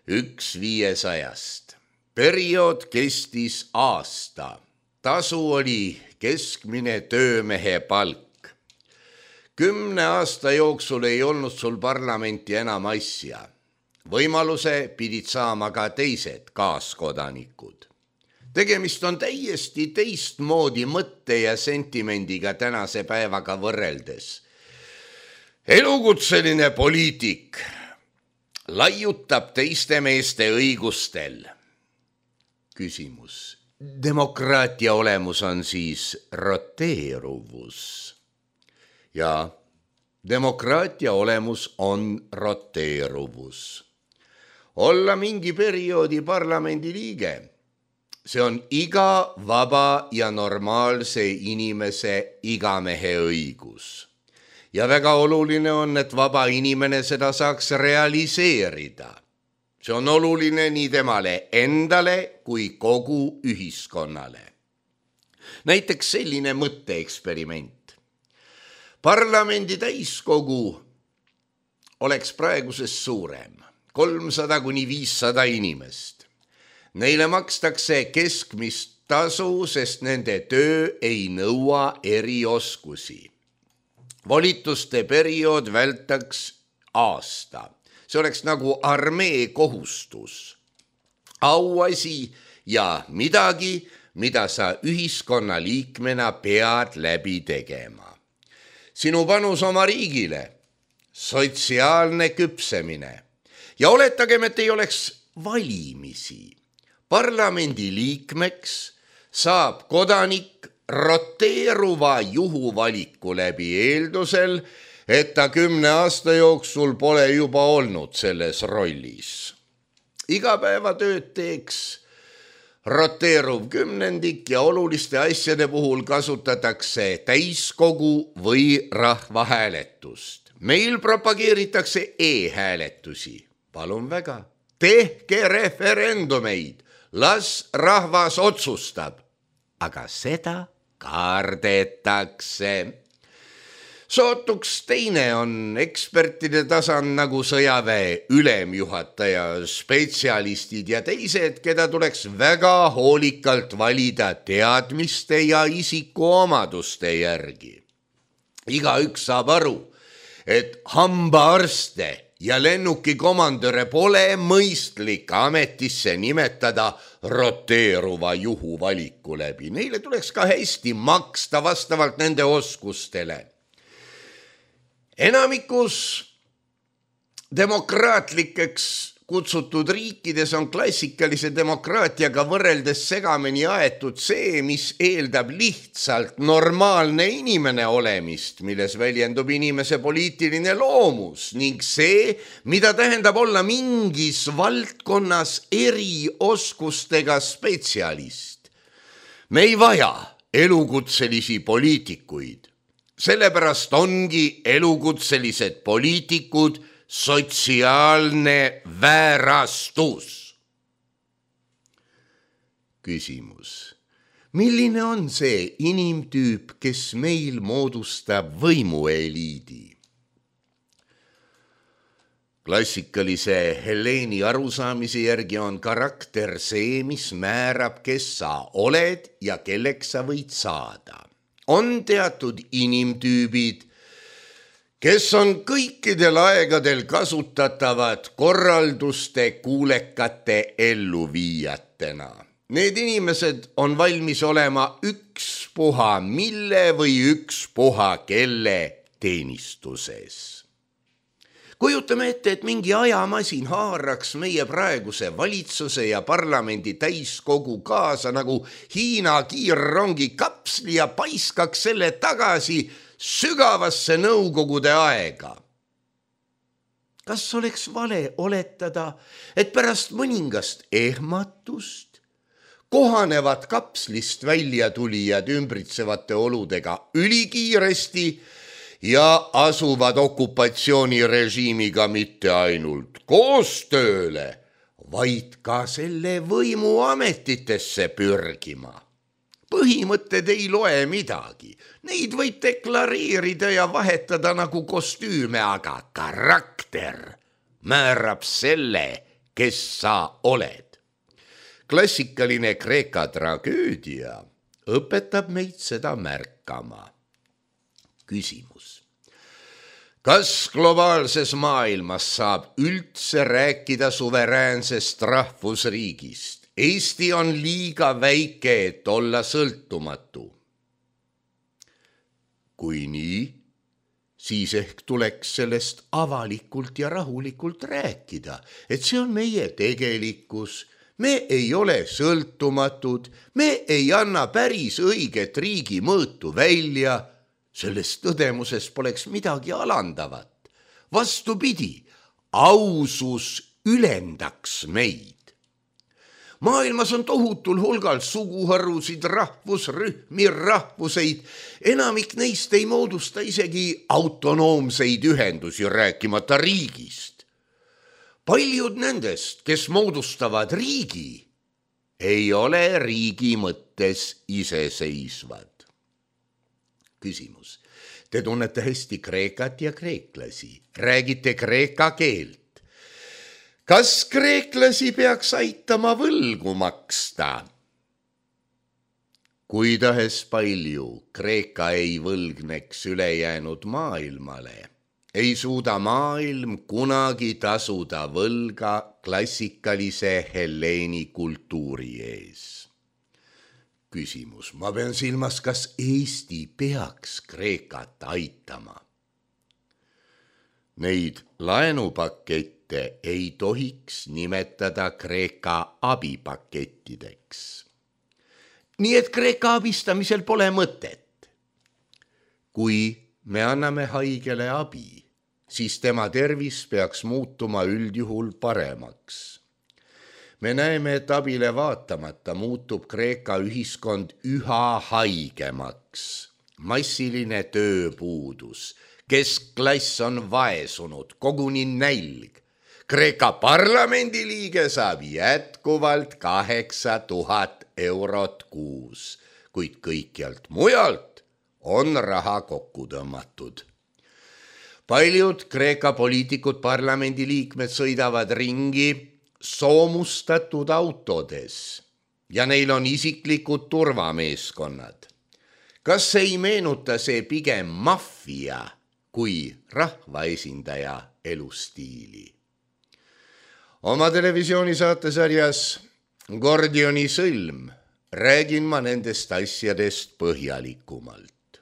1/500. Periood kestis aasta. Tasu oli keskmine töömehe palk. 10 aasta jooksul ei olnud sul parlamenti enam asja. Võimaluse pidid saama ka teised kaaskodanikud. Tegemist on täiesti teistmoodi mõtte ja sentimendiga tänase päevaga võrreldes. Elukutseline poliitik laiutab teiste meeste õigustel. Küsimus. Demokraatia olemus on siis roteeruvus. Ja demokraatia olemus on roteeruvus. Olla mingi perioodi parlamendi liige. See on iga vaba ja normaalse inimese igamehe õigus. Ja väga oluline on, et vaba inimene seda saaks realiseerida. See on oluline nii temale endale kui kogu ühiskonnale. Näiteks selline mõtteeksperiment. Parlamendi täiskogu oleks praegusest suurem, 300–500 inimest. Neile makstakse keskmist tasu, sest nende töö ei nõua erioskusi. Volituste periood vältaks aasta. See oleks nagu armee kohustus. Auasi ja midagi, mida sa ühiskonna liikmena pead läbi tegema. Sinu panus oma riigile, sotsiaalne küpsemine. Ja oletagem, et ei oleks valimisi. Parlamendi liikmeks saab kodanik roteeruva juhuvaliku läbi eeldusel, et ta 10 aasta jooksul pole juba olnud selles rollis. Igapäevatööd teeks roteeruv kümnendik ja oluliste asjade puhul kasutatakse täiskogu või rahvahääletust. Meil propageeritakse e-hääletusi. Palun väga, tehke referendumeid. Las rahvas otsustab, aga seda kardetakse. Sootuks teine on ekspertide tasand nagu sõjaväe ülemjuhataja, spetsialistid ja teised, keda tuleks väga hoolikalt valida teadmiste ja isikuomaduste järgi. Igaüks saab aru, et hambaarste ja lennukikomandöre pole mõistlik ametisse nimetada roteeruva juhuvaliku läbi. Neile tuleks ka hästi maksta vastavalt nende oskustele. Enamikus demokraatlikeks kutsutud riikides on klassikalise demokraatiaga võrreldes segamini aetud see, mis eeldab lihtsalt normaalne inimene olemist, milles väljendub inimese poliitiline loomus ning see, mida tähendab olla mingis valdkonnas erioskustega spetsialist. Me ei vaja elukutselisi poliitikuid. Sellepärast ongi elukutselised poliitikud sotsiaalne väärastus. Küsimus. Milline on see inimtüüp, kes meil moodustab võimueliidi? Klassikalise Helleeni arusaamise järgi on karakter see, mis määrab, kes sa oled ja kelleks sa võid saada. On teatud inimtüübid, kes on kõikidel aegadel kasutatavad korralduste kuulekate elluviijatena. Need inimesed on valmis olema ükspuha mille või ükspuha kelle teenistuses. Kujutame ette, et mingi ajamasin haaraks meie praeguse valitsuse ja parlamendi täiskogu kaasa nagu Hiina kiirrongi kapsli ja paiskaks selle tagasi sügavasse nõukogude aega. Kas oleks vale oletada, et pärast mõningast ehmatust kohanevad kapslist välja tulijad ümbritsevate oludega ülikiiresti ja asuvad okupatsioonirežiimiga mitte ainult koostööle, vaid ka selle võimuametitesse pürgima. Põhimõtted ei loe midagi, neid võib deklareerida ja vahetada nagu kostüüme, aga karakter määrab selle, kes sa oled. Klassikaline Kreeka tragöödia õpetab meid seda märkama. Küsimus. Kas globaalses maailmas saab üldse rääkida suveräänsest rahvusriigist? Eesti on liiga väike, et olla sõltumatu. Kui nii, siis ehk tuleks sellest avalikult ja rahulikult rääkida, et see on meie tegelikkus. Me ei ole sõltumatud, me ei anna päris õiget riigi mõõtu välja. Selles tõdemuses poleks midagi alandavat. Vastupidi, ausus ülendaks meid. Maailmas on tohutul hulgal suguharusid, rahvusrühmi, rahvuseid. Enamik neist ei moodusta isegi autonoomseid ühendusi, rääkimata riigist. Paljud nendest, kes moodustavad riigi, ei ole riigi mõttes iseseisvad. Küsimus. Te tunnete hästi kreekat ja kreeklasi. Räägite kreeka keelt. Kas kreeklasi peaks aitama võlgu maksta? Kui tahes palju Kreeka ei võlgneks ülejäänud maailmale, ei suuda maailm kunagi tasuda võlga klassikalise Helleeni kultuuri ees. Küsimus. Ma pean silmas, kas Eesti peaks Kreekat aitama? Neid laenupakette ei tohiks nimetada Kreeka abipakettideks. Nii et Kreeka abistamisel pole mõtet. Kui me anname haigele abi, siis tema tervis peaks muutuma üldjuhul paremaks. Me näeme, et abile vaatamata muutub Kreeka ühiskond üha haigemaks. Massiline tööpuudus, keskklass on vaesunud, koguni nälg. Kreeka parlamendi liige saab jätkuvalt 8000 eurot kuus, kuid kõikjalt mujalt on raha kokku tõmmatud. Paljud Kreeka poliitikud, parlamendi liikmed sõidavad ringi soomustatud autodes ja neil on isiklikud turvameeskonnad. Kas ei meenuta see pigem maffia kui rahvaesindaja elustiili? Oma televisioonisaatesarjas Gordioni sõlm räägin ma nendest asjadest põhjalikumalt.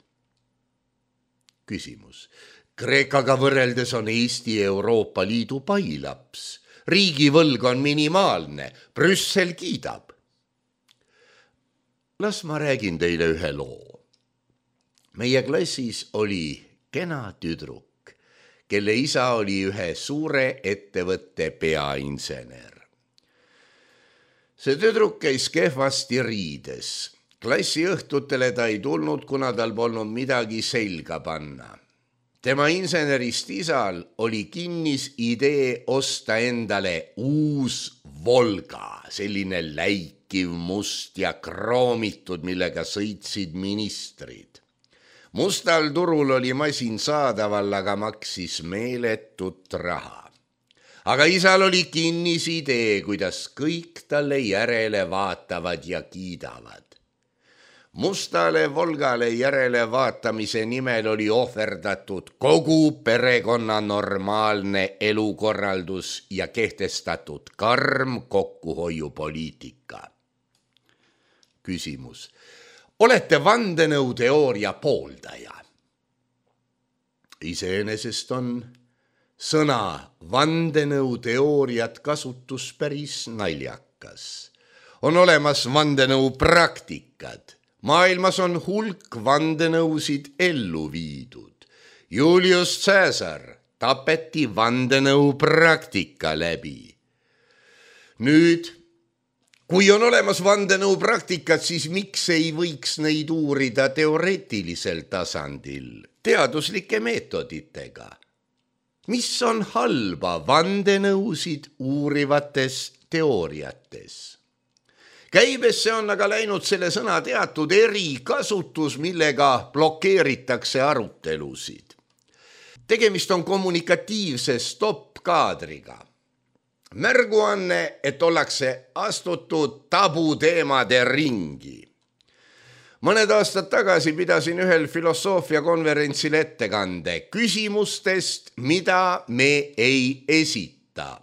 Küsimus. Kreekaga võrreldes on Eesti Euroopa Liidu pailaps. Riigivõlg on minimaalne, Brüssel kiidab. Las ma räägin teile ühe loo. Meie klassis oli kena tüdruk, kelle isa oli ühe suure ettevõtte peainsener. See tüdruk käis kehvasti riides. Klassi õhtutele ta ei tulnud, kuna tal polnud midagi selga panna. Tema insenerist isal oli kinnis idee osta endale uus Volga, selline läikiv, must ja kroomitud, millega sõitsid ministrid. Mustal turul oli masin saadaval, aga maksis meeletut raha. Aga isal oli kinnis idee, kuidas kõik talle järele vaatavad ja kiidavad. Mustale Volgale järele vaatamise nimel oli ohverdatud kogu perekonna normaalne elukorraldus ja kehtestatud karm kokkuhoiupoliitika. Küsimus. Olete vandenõuteooria pooldaja? Iseenesest on sõna vandenõuteooriat kasutus päris naljakas. On olemas vandenõupraktikad. Maailmas on hulk vandenõusid ellu viidud. Julius Caesar tapeti vandenõupraktika läbi. Nüüd, kui on olemas vandenõupraktikad, siis miks ei võiks neid uurida teoreetilisel tasandil, teaduslike meetoditega? Mis on halba vandenõusid uurivates teooriates. Käibesse on aga läinud selle sõna teatud erikasutus, millega blokeeritakse arutelusid. Tegemist on kommunikatiivse stopp-kaadriga. Märguanne, et ollakse astutud tabuteemade ringi. Mõned aastad tagasi pidasin ühel filosoofiakonverentsil ettekande küsimustest, mida me ei esita.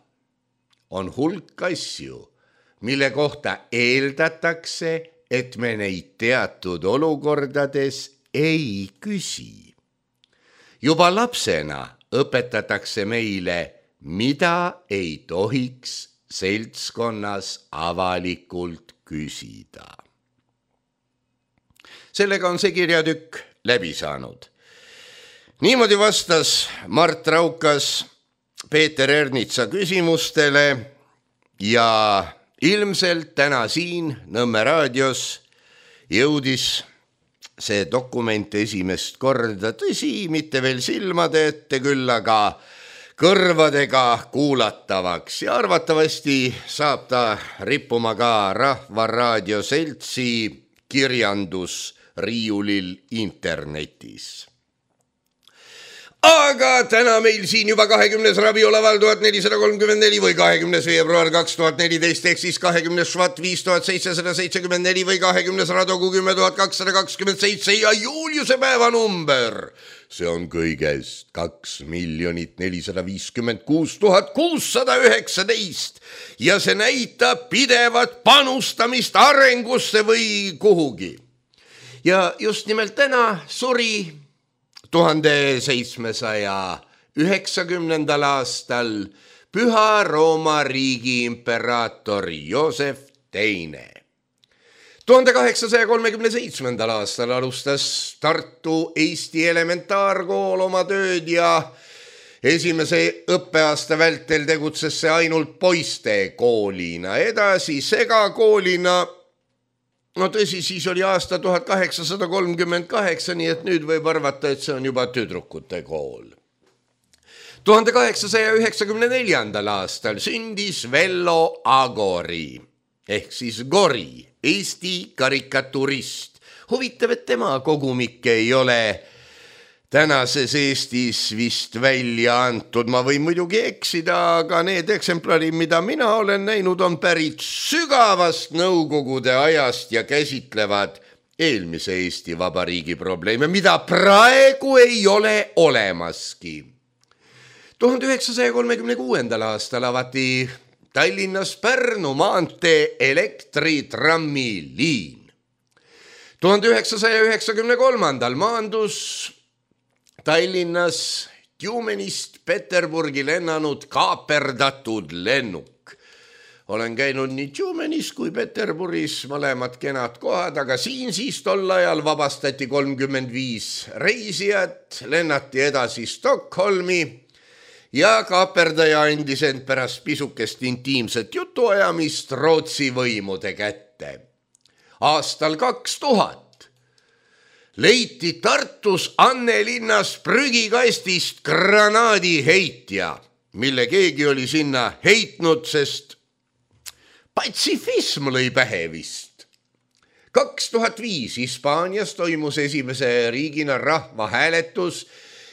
On hulk asju, mille kohta eeldatakse, et me neid teatud olukordades ei küsi. Juba lapsena õpetatakse meile, mida ei tohiks seltskonnas avalikult küsida. Sellega on see kirjatükk läbi saanud. Niimoodi vastas Mart Raukas Peeter Ernitsa küsimustele ja ilmselt täna siin Nõmme raadios jõudis see dokument esimest korda, tõsi, mitte veel silmade ette, küll aga kõrvadega kuulatavaks ja arvatavasti saab ta rippuma ka Rahvaraadio seltsi kirjandusriiulil internetis. Aga täna meil siin juba 20. rabiolaval 1434 või 20. veebruar 2014 ehk siis 20. švat 5774 või 20. radogu 10227 ja Juliuse päevanumber. See on kõigest 2 456 619 ja see näitab pidevat panustamist arengusse või kuhugi. Ja just nimelt täna suri 1790. aastal Püha Rooma riigi imperaator Joosef II. 1837. aastal alustas Tartu Eesti elementaarkool oma tööd ja esimese õppeaasta vältel tegutses see ainult poiste koolina, edasi segakoolina. No tõsi, siis oli aasta 1838, nii et nüüd võib arvata, et see on juba tüdrukute kool. 1894. aastal sündis Vello Agori ehk siis Gori, Eesti karikaturist. Huvitav, et tema kogumikke ei ole tänases Eestis vist välja antud. Ma võin muidugi eksida, aga need eksemplarid, mida mina olen näinud, on pärit sügavast Nõukogude ajast ja käsitlevad eelmise Eesti Vabariigi probleeme, mida praegu ei ole olemaski. 1936. aastal avati Tallinnas Pärnu maantee elektritrammi-liin. 1993. maandus Tallinnas Tjumenist Peterburgi lennanud kaaperdatud lennuk. Olen käinud nii Tjumenis kui Peterburis, mõlemad kenad kohad, aga siin siis tol ajal vabastati 35 reisijat, lennati edasi Stockholmi ja kaaperdaja andis end pärast pisukest intiimset jutuajamist Rootsi võimude kätte. Aastal 2000 leiti Tartus Annelinnas prügikastist granaadiheitja, mille keegi oli sinna heitnud, sest patsifism lõi pähe vist. 2005 Hispaanias toimus esimese riigina rahvahääletus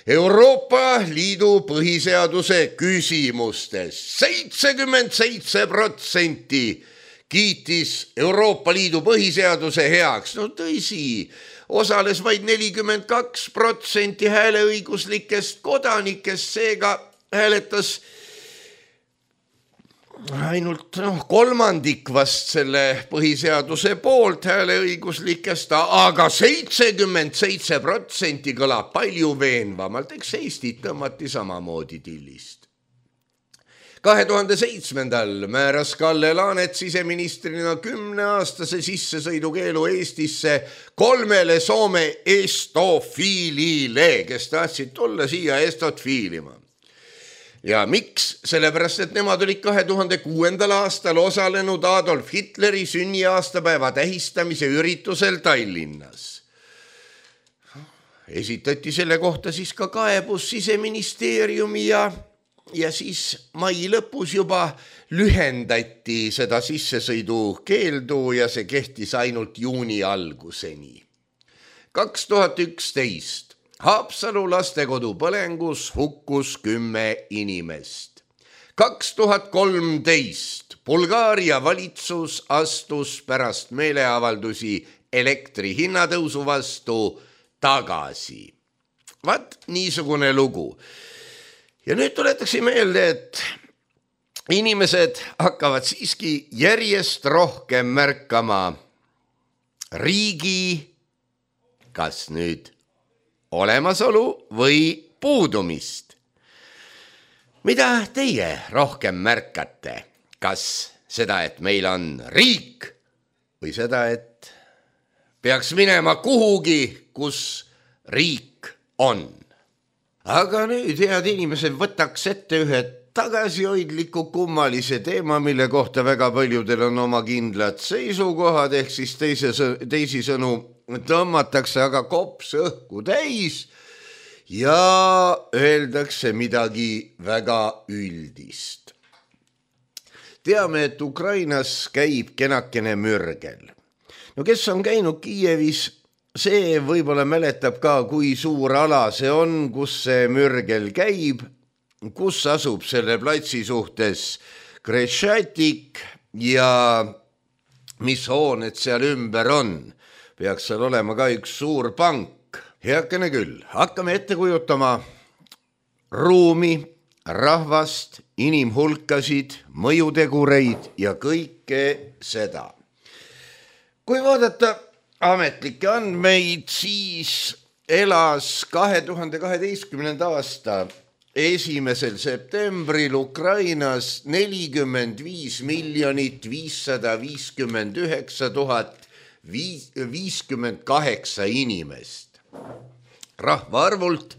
Euroopa Liidu põhiseaduse küsimustes. 77% kiitis Euroopa Liidu põhiseaduse heaks. No tõsi, osales vaid 42% hääleõiguslikest kodanikest, seega hääletas ainult kolmandik vast selle põhiseaduse poolt hääleõiguslikest, aga 77% kõlab palju veenvamalt, eks Eestit tõmmati samamoodi tillist. 2007. määras Kalle Laanet siseministrina 10-aastase sissesõidukeelu Eestisse 3 Soome estofiilile, kes tahtsid tulla siia estot fiilima. Ja miks? Sellepärast, et nemad olid 2006. aastal osalenud Adolf Hitleri sünniaastapäeva tähistamise üritusel Tallinnas. Esitati selle kohta siis ka kaebus Siseministeeriumi ja ja siis mai lõpus juba lühendati seda sissesõidu keeldu ja see kehtis ainult juuni alguseni. 2011 Haapsalu lastekodu põlengus hukkus 10 inimest. 2013 Bulgaaria valitsus astus pärast meeleavaldusi elektri hinnatõusu vastu tagasi. Vaat niisugune lugu. Ja nüüd tuletakse meelde, et inimesed hakkavad siiski järjest rohkem märkama riigi kas nüüd olemasolu või puudumist. Mida teie rohkem märkate? Kas seda, et meil on riik või seda, et peaks minema kuhugi, kus riik on? Aga nüüd, head inimesed, võtaks ette ühe tagasihoidliku kummalise teema, mille kohta väga paljudel on oma kindlad seisukohad, ehk siis teisisõnu tõmmatakse aga kops õhku täis ja öeldakse midagi väga üldist. Teame, et Ukrainas käib kenakene mürgel. No kes on käinud Kiievis, see võib-olla mäletab ka, kui suur ala see on, kus see mürgel käib, kus asub selle platsi suhtes Krešatik ja mis hooned seal ümber on. Peaks seal olema ka üks suur pank. Heakene küll, hakkame ette kujutama ruumi, rahvast, inimhulkasid, mõjutegureid ja kõike seda. Kui vaadata ametlikke andmeid, siis elas 2012. aasta 1. septembril Ukrainas 45 559 058 inimest. Rahvaarvult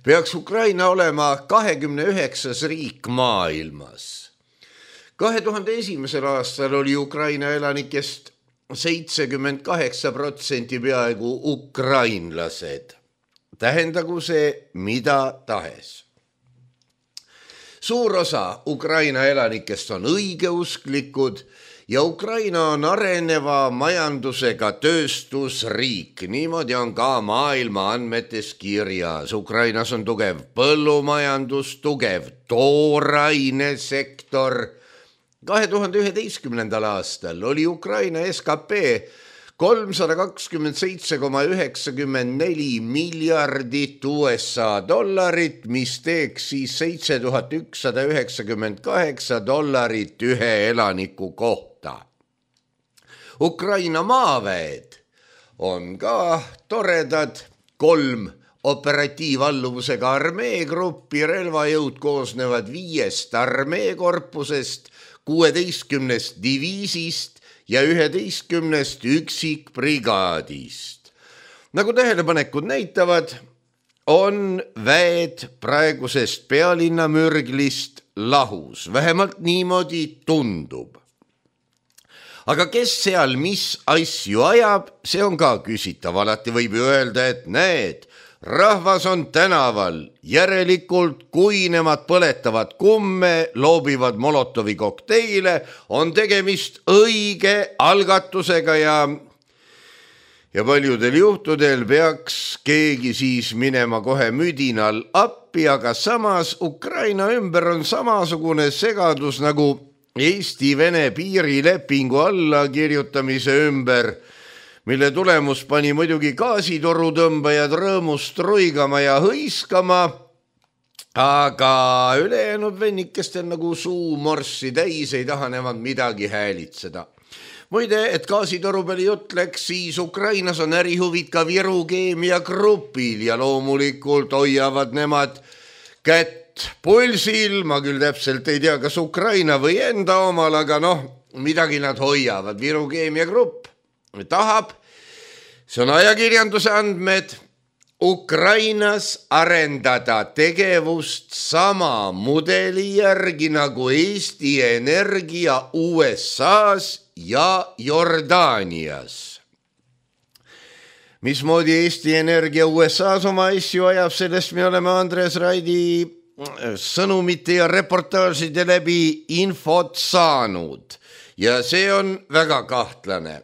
peaks Ukraina olema 29. riik maailmas. 2001. aastal oli Ukraina elanikest 78% peaaegu ukrainlased. Tähendagu see mida tahes. Suur osa Ukraina elanikest on õigeusklikud ja Ukraina on areneva majandusega tööstusriik. Niimoodi on ka maailma andmetes kirjas. Ukrainas on tugev põllumajandus, tugev toorainesektor. 2011. aastal oli Ukraina SKP 327,94 miljardit USA dollarit, mis teeks siis $7198 ühe elaniku kohta. Ukraina maaväed on ka toredad, 3 operatiivalluvusega armeegruppi, relvajõud koosnevad 5 armeekorpusest, 16 diviisist ja 11 üksikbrigaadist. Nagu tähelepanekud näitavad, on väed praegusest pealinna mürglist lahus. Vähemalt niimoodi tundub. Aga kes seal mis asju ajab, see on ka küsitav. Alati võib ju öelda, et näed, rahvas on tänaval, järelikult kui nemad põletavad kumme, loobivad Molotovi kokteile, on tegemist õige algatusega ja paljudel juhtudel peaks keegi siis minema kohe müdinal appi, aga samas Ukraina ümber on samasugune segadus nagu Eesti-Vene piirilepingu allakirjutamise ümber, mille tulemus pani muidugi gaasitorutõmbajad rõõmust ruigama ja hõiskama, aga ülejäänud vennikestel nagu suu morssi täis ei taha nemad midagi häälitseda. Muide, et gaasitoru peale jutt läks, siis Ukrainas on ärihuvid ka Viru keemiagrupil ja loomulikult hoiavad nemad kätt pulsil. Ma küll täpselt ei tea, kas Ukraina või enda omal, aga midagi nad hoiavad. Viru keemiagrupp tahab, see on ajakirjanduse andmed, Ukrainas arendada tegevust sama mudeli järgi nagu Eesti Energia USA-s ja Jordaanias. Mismoodi Eesti Energia USA-s oma asju ajab, sellest me oleme Andres Raidi sõnumite ja reportaažide läbi infot saanud ja see on väga kahtlane.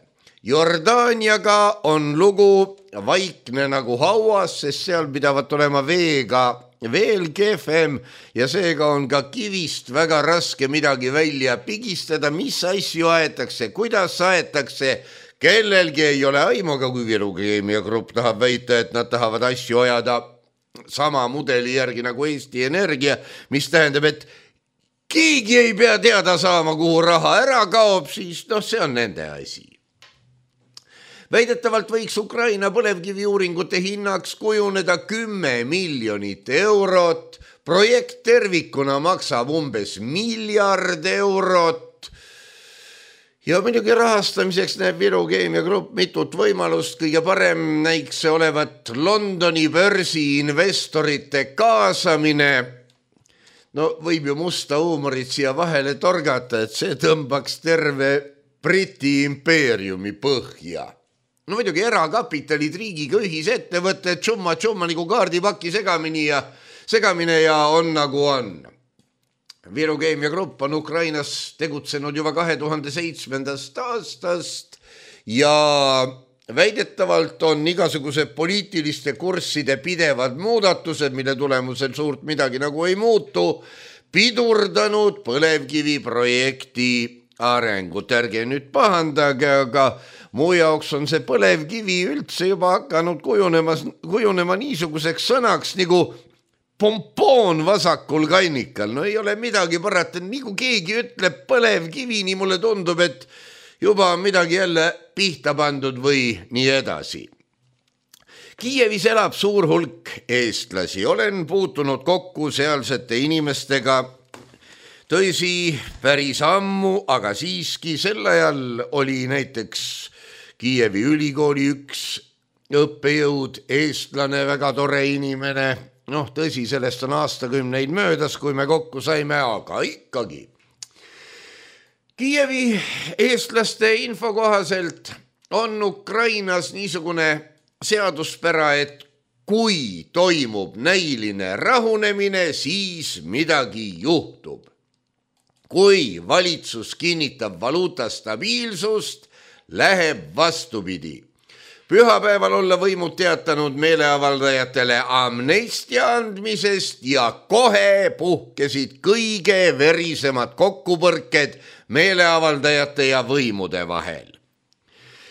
Jordaaniaga on lugu vaikne nagu hauas, sest seal pidavat olema veega veel kehvem ja seega on ka kivist väga raske midagi välja pigistada, mis asju aetakse, kuidas aetakse. Kellelgi ei ole aimu, aga kui Viru Keemia Grupp tahab väita, et nad tahavad asju ajada sama mudeli järgi nagu Eesti Energia, mis tähendab, et keegi ei pea teada saama, kuhu raha ära kaob, siis see on nende asi. Väidetavalt võiks Ukraina põlevkiviuuringute hinnaks kujuneda 10 miljonit eurot, projekt tervikuna maksab umbes 1 miljard eurot. Ja muidugi rahastamiseks näeb Viru Keemia Grupp mitut võimalust, kõige parem näiks see olevat Londoni börsi investorite kaasamine. Võib ju musta huumorit siia vahele torgata, et see tõmbaks terve Briti impeeriumi põhja. Muidugi erakapitalid riigiga ühisettevõtted, tšumma nagu kaardipaki segamine ja on nagu on. Viru Keemia Grupp on Ukrainas tegutsenud juba 2007. aastast ja väidetavalt on igasugused poliitiliste kursside pidevad muudatused, mille tulemusel suurt midagi nagu ei muutu, pidurdanud põlevkivi projekti arengut. Ärge nüüd pahandage, aga mu jaoks on see põlevkivi üldse juba hakanud kujunema niisuguseks sõnaks nagu pompoon vasakul kannikal. Ei ole midagi parata, nii kui keegi ütleb põlevkivi, nii mulle tundub, et juba on midagi jälle pihta pandud või nii edasi. Kiievis elab suur hulk eestlasi. Olen puutunud kokku sealsete inimestega. Tõsi, päris ammu, aga siiski sel ajal oli näiteks Kiievi ülikooli üks õppejõud, eestlane, väga tore inimene. Tõsi, sellest on aastakümneid möödas, kui me kokku saime, aga ikkagi. Kiievi eestlaste info kohaselt on Ukrainas niisugune seaduspära, et kui toimub näiline rahunemine, siis midagi juhtub. Kui valitsus kinnitab valuuta stabiilsust, läheb vastupidi. Pühapäeval olla võimud teatanud meeleavaldajatele amnestia andmisest ja kohe puhkesid kõige verisemad kokkupõrked meeleavaldajate ja võimude vahel.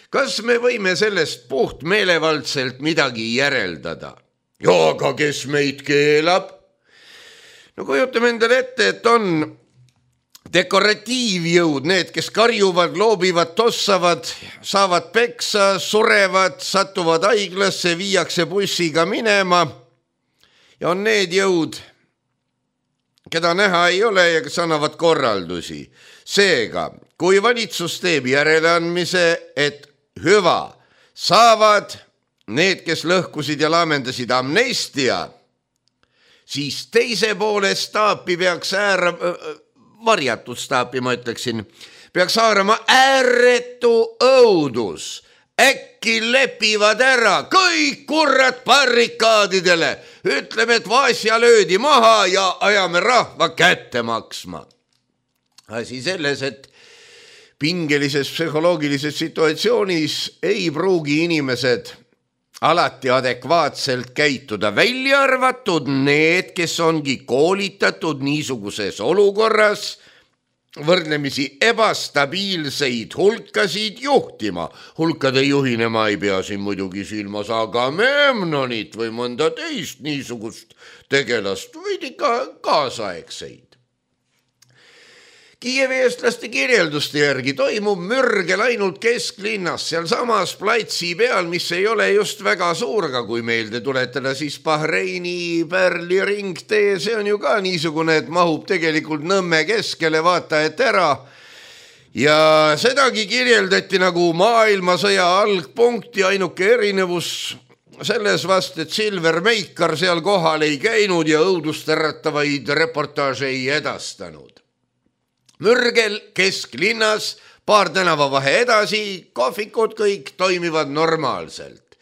Kas me võime sellest puht meelevaldselt midagi järeldada? Aga kes meid keelab? Kujutame endale ette, et on dekoratiivjõud, need, kes karjuvad, loobivad, tossavad, saavad peksa, surevad, satuvad haiglasse, viiakse bussiga minema. Ja on need jõud, keda näha ei ole ja kes annavad korraldusi. Seega, kui valitsus teeb järeleandmise, et hüva, saavad need, kes lõhkusid ja laamendasid amnestia, siis teise poole staapi peaks varjatud staapi, ma ütleksin, peaks haarama ääretu õudus. Äkki lepivad ära kõik kurrat barrikaadidele. Ütleme, et Vaasja löödi maha ja ajame rahva kätte maksma. Asi selles, et pingelises psühholoogilises situatsioonis ei pruugi inimesed alati adekvaatselt käituda, välja arvatud need, kes ongi koolitatud niisuguses olukorras võrdlemisi ebastabiilseid hulkasid juhtima. Hulkade juhina ma ei pea siin muidugi silmas Agamemnonit või mõnda teist niisugust tegelast, võid ikka kaasaegseid. Kiievi eestlaste kirjelduste järgi toimub mürgel ainult kesklinnas, seal samas platsi peal, mis ei ole just väga suur, aga kui meelde tuletada, siis Bahreini Pärli ringtee, see on ju ka niisugune, et mahub tegelikult Nõmme keskele, vaata et ära. Ja sedagi kirjeldati nagu maailmasõja algpunkti, ainuke erinevus selles vast, et Silver Meikar seal kohal ei käinud ja õudustäratavaid reportaaže ei edastanud. Mürgel kesklinnas, paar tänavavahe edasi, kohvikud kõik toimivad normaalselt.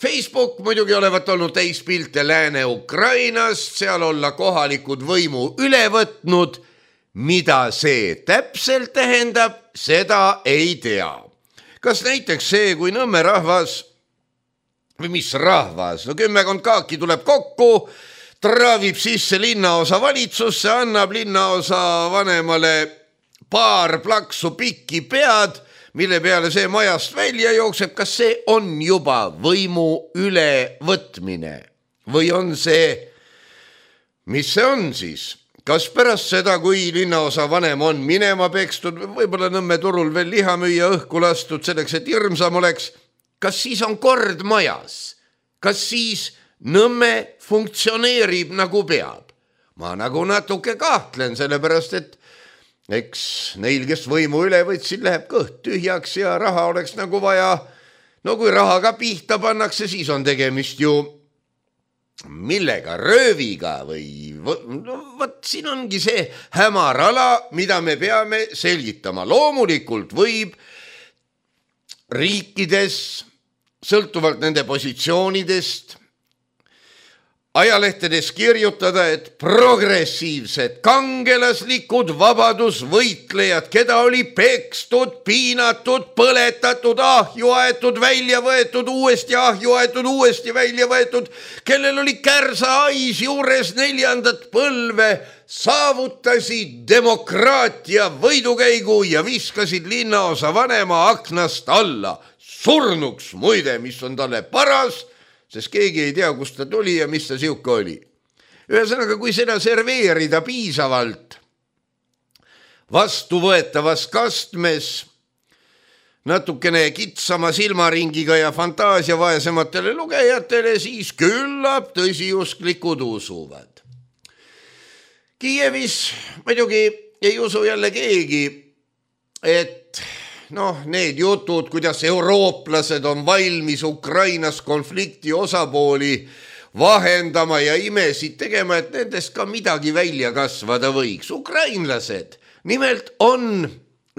Facebook muidugi olevat olnud täis pilte Lääne-Ukrainast, seal olla kohalikud võimu üle võtnud. Mida see täpselt tähendab, seda ei tea. Kas näiteks see, kui Nõmme rahvas, või mis rahvas, 10 kaaki tuleb kokku, traavib sisse linnaosa valitsusse, annab linnaosa vanemale paar plaksu pikki pead, mille peale see majast välja jookseb, kas see on juba võimu ülevõtmine või on see, mis see on siis? Kas pärast seda, kui linnaosa vanem on minema pekstud, võib-olla Nõmme turul veel lihamüüja õhku lastud selleks, et hirmsam oleks, kas siis on kord majas? Kas siis Nõmme funktsioneerib nagu peab? Ma nagu natuke kahtlen, sellepärast et eks neil, kes võimu üle võtsid, läheb kõht tühjaks ja raha oleks nagu vaja. No kui rahaga pihta pannakse, siis on tegemist ju millega, rööviga või võt siin ongi see hämar ala, mida me peame selgitama. Loomulikult võib riikides, sõltuvalt nende positsioonidest, ajalehtedes kirjutada, et progressiivsed, kangelaslikud vabadusvõitlejad, keda oli pekstud, piinatud, põletatud, ahju aetud, välja võetud, uuesti välja võetud, kellel oli kärsahais juures 4. põlve, saavutasid demokraatia võidukäigu ja viskasid linnaosa vanema aknast alla. Surnuks muide, mis on talle paras, sest keegi ei tea, kust ta tuli ja mis ta siuke oli. Ühesõnaga, kui seda serveerida piisavalt vastuvõetavas kastmes, natukene kitsama silmaringiga ja fantaasia vaesematele lugejatele, siis küllap tõsiusklikud usuvad. Kiievis muidugi ei usu jälle keegi, et need jutud, kuidas eurooplased on valmis Ukrainas konflikti osapooli vahendama ja imesid tegema, et nendest ka midagi välja kasvada võiks. Ukrainlased nimelt on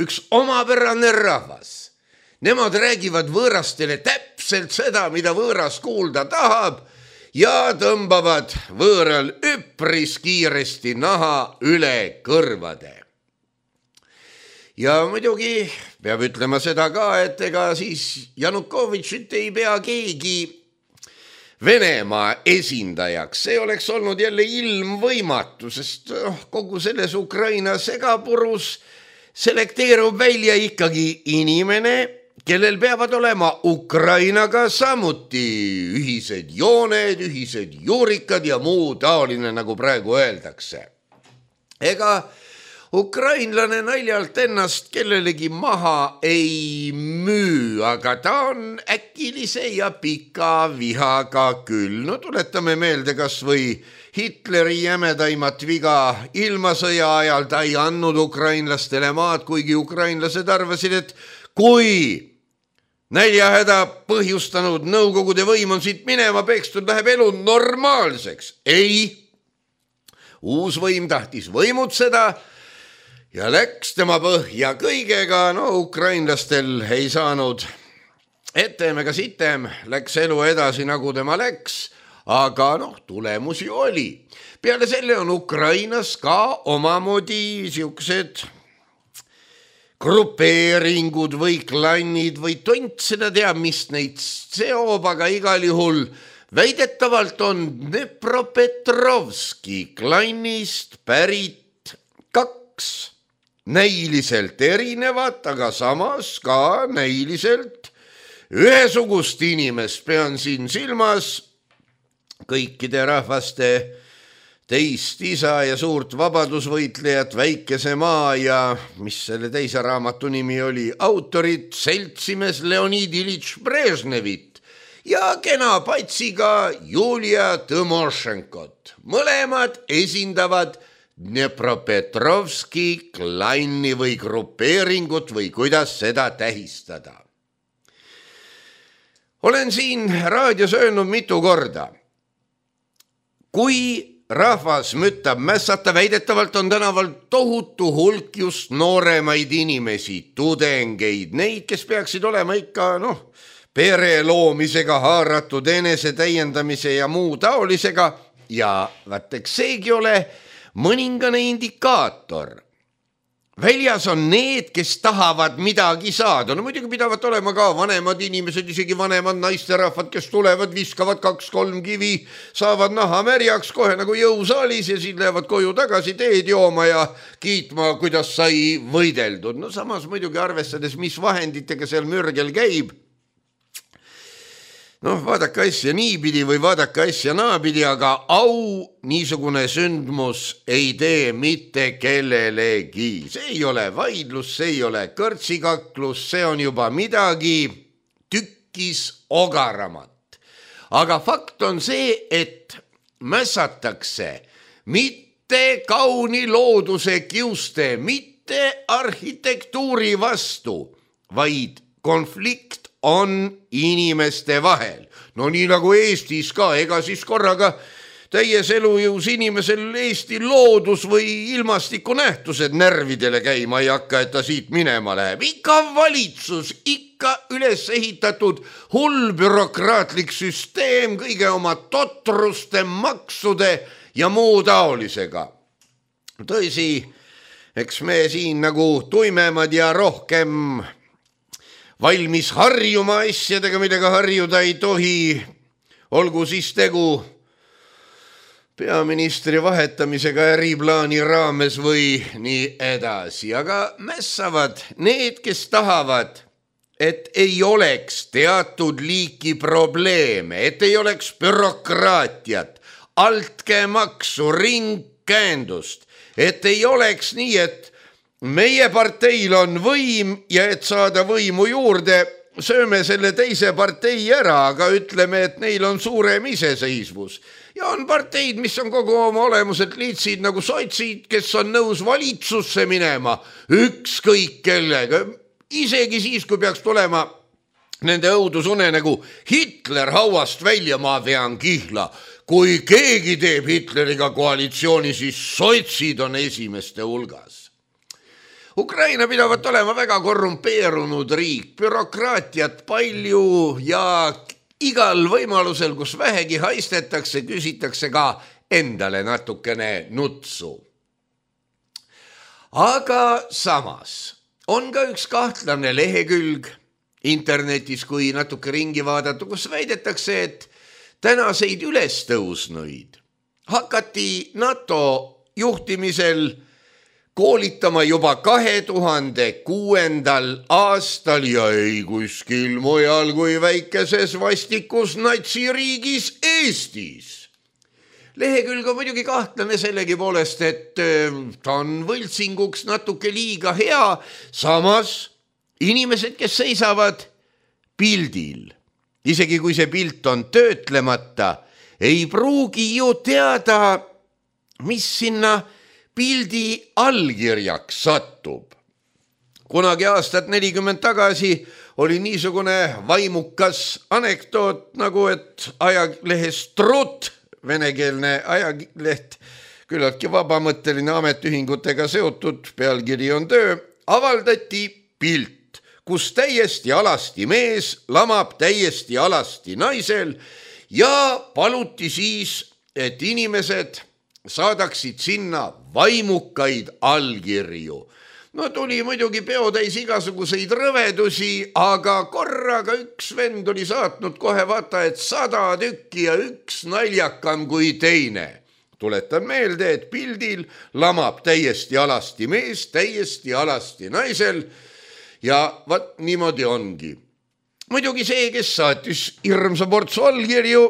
üks omapärane rahvas. Nemad räägivad võõrastele täpselt seda, mida võõras kuulda tahab ja tõmbavad võõral üpris kiiresti naha üle kõrvade. Ja muidugi peab ütlema seda ka, et ega siis Janukovitšit ei pea keegi Venemaa esindajaks. See oleks olnud jälle ilmvõimatu, sest kogu selles Ukraina segapurus selekteerub välja ikkagi inimene, kellel peavad olema Ukrainaga samuti ühised jooned, ühised juurikad ja muu taoline, nagu praegu öeldakse. Ega ukrainlane naljalt ennast kellelegi maha ei müü, aga ta on äkilise ja pika vihaga küll. No tuletame meelde kas või Hitleri jämedaimat viga. Ilmasõja ajal ta ei andnud ukrainlastele maad, kuigi ukrainlased arvasid, et kui näljahäda põhjustanud Nõukogude võim on siit minema pekstud, läheb elu normaalseks. Ei, uus võim tahtis võimutseda ja läks tema põhja kõigega, ukrainlastel ei saanud etem ega sitem, läks elu edasi, nagu tema läks, aga tulemus ju oli. Peale selle on Ukrainas ka omamoodi siuksed grupeeringud või klannid või tont seda teab, mis neid seob, aga igal juhul väidetavalt on Dnepropetrovski klannist pärit 2 näiliselt erinevat, aga samas ka näiliselt ühesugust inimest. Pean siin silmas kõikide rahvaste teist isa ja suurt vabadusvõitlejat Väikese maa ja mis selle teise raamatu nimi oli, autorit seltsimees Leonid Ilitš Brežnevit ja kena patsiga Julia Tõmošenkot. Mõlemad esindavad Dnepropetrovski klanni või grupeeringut või kuidas seda tähistada. Olen siin raadios öelnud mitu korda. Kui rahvas müttab mässata, väidetavalt on tänaval tohutu hulk just nooremaid inimesi, tudengeid, neid, kes peaksid olema ikka, pere loomisega haaratud enese täiendamise ja muu taolisega ja vaateks seegi ole mõningane indikaator. Väljas on need, kes tahavad midagi saada. No muidugi pidavad olema ka vanemad inimesed, isegi vanemad naisterahvad, kes tulevad, viskavad 2-3 kivi, saavad naha märjaks kohe nagu jõusaalis ja siis lähevad koju tagasi teed jooma ja kiitma, kuidas sai võideldud. No samas muidugi arvestades, mis vahenditega seal mürgel käib. Noh, vaadake asja niipidi või vaadake asja naapidi, aga au niisugune sündmus ei tee mitte kellelegi. See ei ole vaidlus, see ei ole kõrtsikaklus, see on juba midagi tükkis ogaramat. Aga fakt on see, et mässatakse mitte kauni looduse kiuste, mitte arhitektuuri vastu, vaid konflikt on inimeste vahel. No nii nagu Eestis ka, ega siis korraga täies elujõus inimesel Eesti loodus või ilmastiku nähtused närvidele käima ei hakka, et ta siit minema läheb. Ikka valitsus, ikka üles ehitatud hull bürokraatlik süsteem kõige oma totruste, maksude ja muu taolisega. Tõsi, eks me siin nagu tuimemad ja rohkem valmis harjuma asjadega, millega harjuda ei tohi, olgu siis tegu peaministri vahetamisega äriplaani raames või nii edasi. Aga mässavad need, kes tahavad, et ei oleks teatud liiki probleeme, et ei oleks bürokraatiat, altkäemaksu, ringkäendust, et ei oleks nii, et meie parteil on võim ja et saada võimu juurde, sööme selle teise partei ära, aga ütleme, et neil on suurem iseseisvus. Ja on parteid, mis on kogu oma olemuselt liitsid nagu sotsid, kes on nõus valitsusse minema ükskõik kellega. Isegi siis, kui peaks tulema nende õudusune nagu Hitler hauast välja, ma vean kihla. Kui keegi teeb Hitleriga koalitsiooni, siis sotsid on esimeste hulgas. Ukraina pidavat olema väga korrumpeerunud riik, bürokraatiat palju ja igal võimalusel, kus vähegi haistetakse, küsitakse ka endale natukene nutsu. Aga samas on ka üks kahtlane lehekülg internetis, kui natuke ringi vaadata, kus väidetakse, et tänaseid ülestõusnuid hakati NATO juhtimisel koolitama juba 2006. aastal ja ei kuskil mujal kui väikeses vastikus natsiriigis Eestis. Lehekülg on muidugi kahtlane sellegi poolest, et ta on võltsinguks natuke liiga hea, samas inimesed, kes seisavad pildil, isegi kui see pilt on töötlemata, ei pruugi ju teada, mis sinna pildi allkirjaks satub. Kunagi aastat 40 tagasi oli niisugune vaimukas anekdoot, nagu et ajalehes Trut, venekeelne ajaleht, küllaltki vabamõtteline ametiühingutega seotud, pealkiri on töö, avaldati pilt, kus täiesti alasti mees lamab täiesti alasti naisel ja paluti siis, et inimesed saadaksid sinna vaimukaid allkirju. No tuli muidugi peotäis igasuguseid rõvedusi, aga korraga üks vend oli saatnud kohe vaata, et 100 tükki ja üks naljakam kui teine. Tuletan meelde, et pildil lamab täiesti alasti mees, täiesti alasti naisel ja vaat niimoodi ongi. Muidugi see, kes saatis hirmsa portsu allkirju,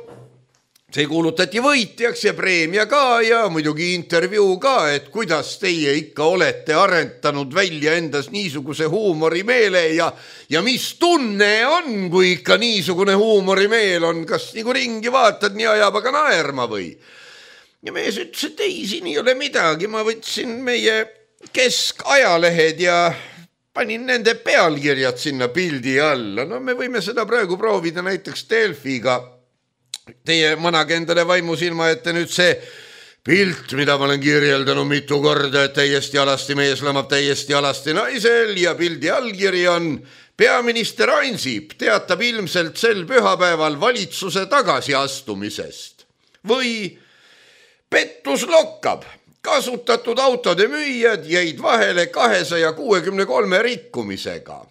see kuulutati võitjaks ja preemia ka ja muidugi intervjuu ka, et kuidas teie ikka olete arendanud välja endas niisuguse huumorimeele ja mis tunne on, kui ikka niisugune huumorimeel on, kas nagu ringi vaatad, nii ajab aga naerma või? Ja mees ütles, et ei, siin ei ole midagi, ma võtsin meie keskajalehed ja panin nende pealkirjad sinna pildi alla. No me võime seda praegu proovida näiteks Delfiga. Teie manage endale vaimusilma ette nüüd see pilt, mida ma olen kirjeldanud mitu korda, et täiesti alasti mees lamab täiesti alasti naisel ja pildi allkiri on Peaminister Ansip teatab ilmselt sel pühapäeval valitsuse tagasiastumisest või pettus lokkab. Kasutatud autode müüjad jäid vahele 263 rikkumisega.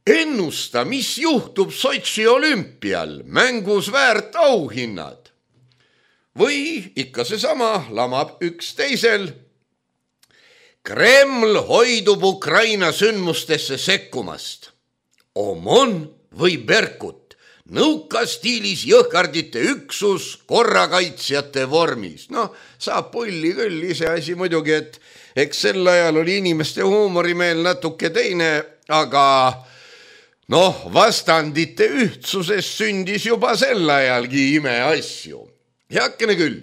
Ennusta, mis juhtub Sotši olümpial, mängus väärt auhinnad. Või ikka seesama lamab üks teisel. Kreml hoidub Ukraina sündmustesse sekkumast. Omon või Berkut, nõukastiilis jõhkardite üksus korrakaitsjate vormis. Saab pulli küll, ise asi muidugi, et eks sel ajal oli inimeste huumorimeel natuke teine, aga vastandite ühtsuses sündis juba sel ajalgi imeasju. Heakene küll.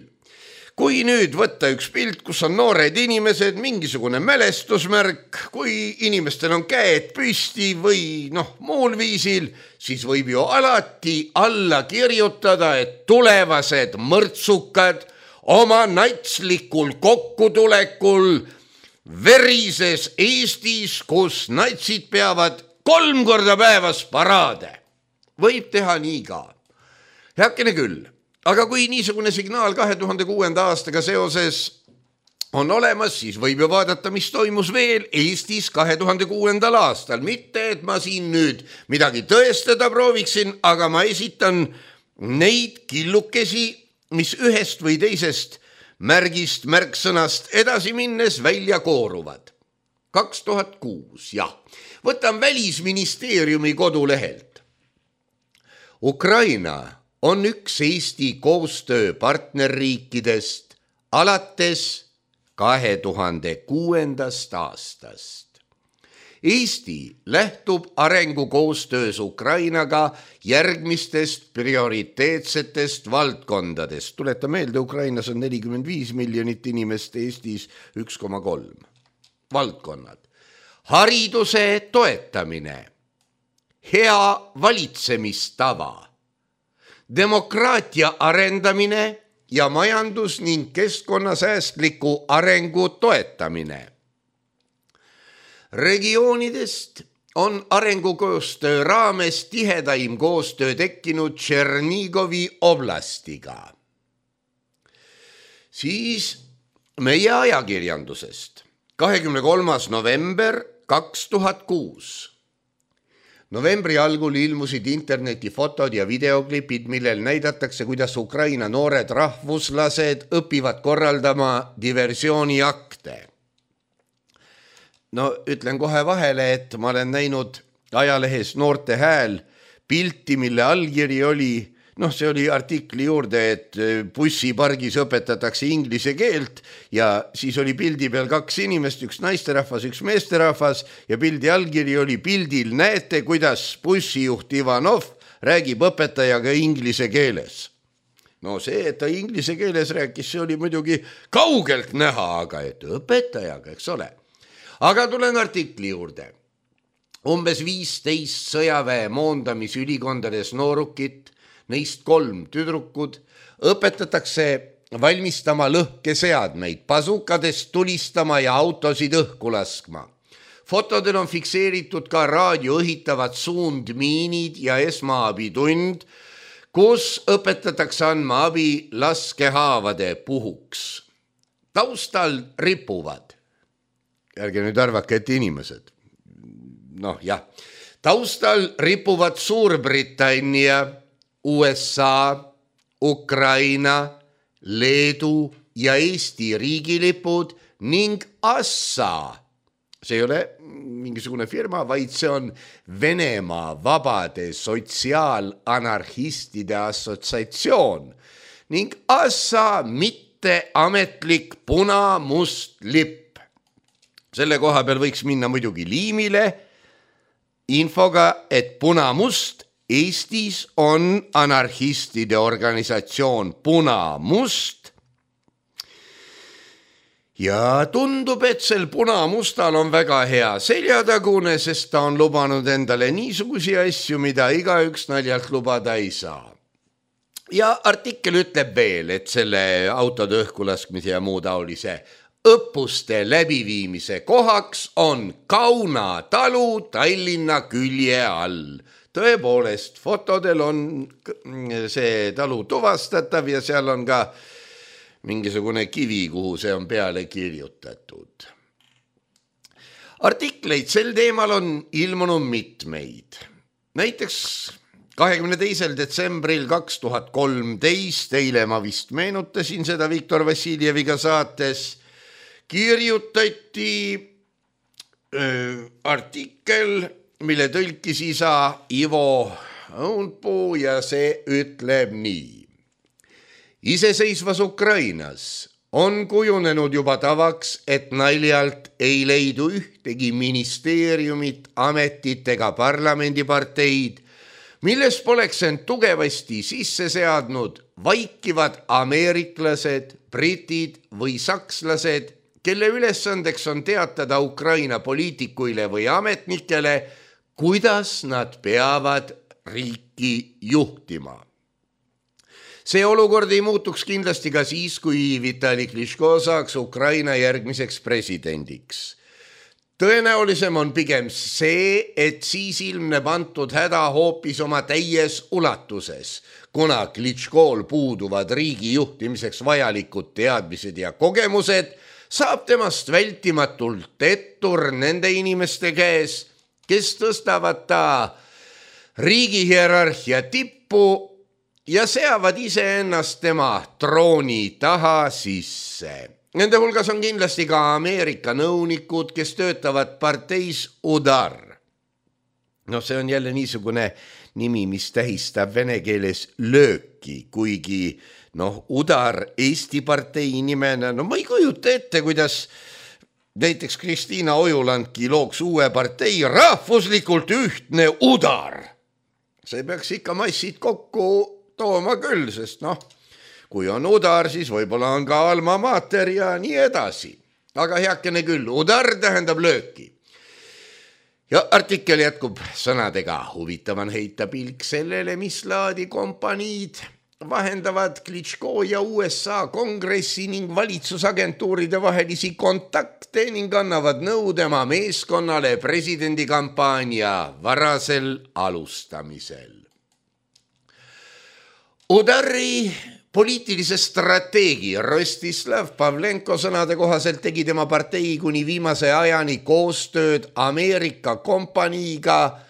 Kui nüüd võtta üks pilt, kus on noored inimesed, mingisugune mälestusmärk, kui inimestel on käed püsti või muul viisil, siis võib ju alati alla kirjutada, et tulevased mõrtsukad oma natslikul kokkutulekul verises Eestis, kus natsid peavad 3 korda päevas paraade. Võib teha nii ka. Heakene küll. Aga kui niisugune signaal 2006. aastaga seoses on olemas, siis võib ju vaadata, mis toimus veel Eestis 2006. aastal. Mitte, et ma siin nüüd midagi tõestada prooviksin, aga ma esitan neid killukesi, mis ühest või teisest märksõnast edasi minnes välja kooruvad. 2006, jah. Võtan Välisministeeriumi kodulehelt. Ukraina on üks Eesti koostöö partnerriikidest alates 2006. aastast. Eesti lähtub arengukoostöös Ukrainaga järgmistest prioriteetsetest valdkondadest. Tuleta meelde, Ukrainas on 45 miljonit inimest, Eestis 1,3. Valdkonnad. Hariduse toetamine, hea valitsemistava, demokraatia arendamine ja majandus- ning keskkonnasäästliku arengu toetamine. Regioonidest on arengukoostöö raames tihedaim koostöö tekkinud Tšernigovi oblastiga. Siis meie ajakirjandusest. 23. november 2006. Novembri algul ilmusid interneti fotod ja videoklipid, millel näidatakse, kuidas Ukraina noored rahvuslased õpivad korraldama diversiooniakte. Ütlen kohe vahele, et ma olen näinud ajalehes Noorte Hääl pilti, mille allkiri oli, see oli artikli juurde, et bussipargis õpetatakse inglise keelt ja siis oli pildi peal 2 inimest, üks naisterahvas, üks meesterahvas ja pildi allkiri oli pildil. Näete, kuidas bussijuht Ivanov räägib õpetajaga inglise keeles. See, et ta inglise keeles rääkis, see oli muidugi kaugelt näha, aga et õpetajaga, eks ole. Aga tulen artikli juurde. Umbes 15 sõjaväe moondamisülikondades noorukit, neist 3 tüdrukud, õpetatakse valmistama lõhkeseadmeid, pasukadest tulistama ja autosid õhku laskma. Fotodel on fikseeritud ka raadio õhitavad suundmiinid ja esmaabitund, kus õpetatakse andma abi laskehaavade puhuks. Taustal ripuvad. Ärge nüüd arvake, et inimesed. Taustal ripuvad Suurbritannia, USA, Ukraina, Leedu ja Eesti riigilipud ning ASSA. See ei ole mingisugune firma, vaid see on Venemaa vabade sotsiaalanarhistide assotsiatsioon ning ASSA mitteametlik puna-must lipp. Selle koha peal võiks minna muidugi liimile infoga, et puna-must Eestis on anarhistide organisatsioon Puna-Must ja tundub, et sel Puna-Mustal on väga hea seljatagune, sest ta on lubanud endale niisugusi asju, mida igaüks naljalt lubada ei saa. Ja artikkel ütleb veel, et selle autode õhkulaskmise ja muu taolise õppuste läbiviimise kohaks on Kauna talu Tallinna külje all. Tõepoolest, fotodel on see talu tuvastatav ja seal on ka mingisugune kivi, kuhu see on peale kirjutatud. Artikleid sel teemal on ilmunud mitmeid. Näiteks 22. detsembril 2013, eile ma vist meenutasin seda Viktor Vassiljeviga saates, kirjutati artikkel, mille tõlkis isa Ivo Õunpuu ja see ütleb nii. Iseseisvas Ukrainas on kujunenud juba tavaks, et naljalt ei leidu ühtegi ministeeriumit, ametit ega parlamendiparteid, milles poleks end tugevasti sisse seadnud vaikivad ameeriklased, britid või sakslased, kelle ülesandeks on teatada Ukraina poliitikuile või ametnikele, kuidas nad peavad riiki juhtima. See olukord ei muutuks kindlasti ka siis, kui Vitali Klitschko saaks Ukraina järgmiseks presidendiks. Tõenäolisem on pigem see, et siis ilmneb antud häda hoopis oma täies ulatuses, kuna Klitschkol puuduvad riigi juhtimiseks vajalikud teadmised ja kogemused, saab temast vältimatult ettur nende inimeste käes, kes tõstavad ta riigi hierarhia tippu ja seavad iseennast tema trooni taha sisse. Nende hulgas on kindlasti ka Ameerika nõunikud, kes töötavad parteis Udar. See on jälle niisugune nimi, mis tähistab vene keeles lööki, kuigi Udar Eesti partei nimena, ma ei kujuta ette, kuidas näiteks Kristiina Ojulandki looks uue partei rahvuslikult ühtne Udar. See peaks ikka massid kokku tooma küll, sest kui on Udar, siis võib-olla on ka alma mater ja nii edasi. Aga heakene küll, Udar tähendab lööki. Ja artikkel jätkub sõnadega. Huvitav on heita pilk sellele, mis laadi kompaniid vahendavad Klitschko ja USA kongressi ning valitsusagentuuride vahelisi kontakte ning annavad nõu tema meeskonnale presidendikampaania varasel alustamisel. Udari poliitilise strateegi Rostislav Pavlenko sõnade kohaselt tegi tema partei kuni viimase ajani koostööd Ameerika kompaniiga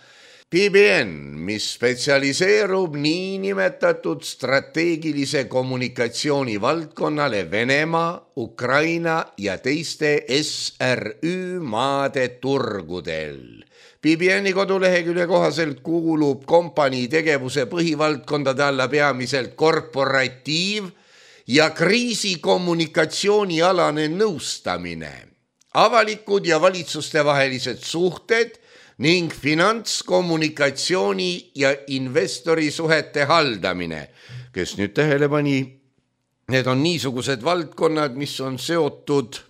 PBN, mis spetsialiseerub niinimetatud strateegilise kommunikatsiooni valdkonnale Venemaa, Ukraina ja teiste SRÜ maade turgudel. PBN-i kodulehekülje kohaselt kuulub kompanii tegevuse põhivaldkondade alla peamiselt korporatiiv- ja kriisikommunikatsioonialane nõustamine, avalikud ja valitsuste vahelised suhted ning finantskommunikatsiooni ja investorisuhete haldamine. Kes nüüd tähele pani, need on niisugused valdkonnad, mis on seotud,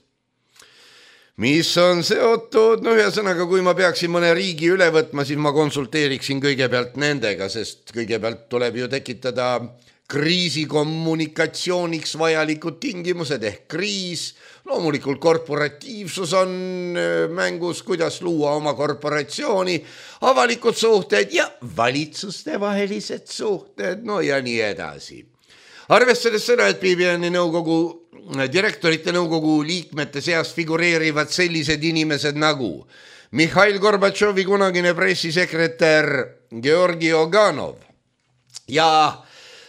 ühesõnaga, kui ma peaksin mõne riigi üle võtma, siis ma konsulteeriksin kõigepealt nendega, sest kõigepealt tuleb ju tekitada kriisikommunikatsiooniks vajalikud tingimused ehk kriis. Loomulikult korporatiivsus on mängus, kuidas luua oma korporatsiooni, avalikud suhted ja valitsuste vahelised suhted, ja nii edasi. Arvestades seda, et PBN-i direktorite nõukogu liikmete seas figureerivad sellised inimesed nagu Mihhail Gorbatšovi kunagine pressisekretär Georgi Oganov ja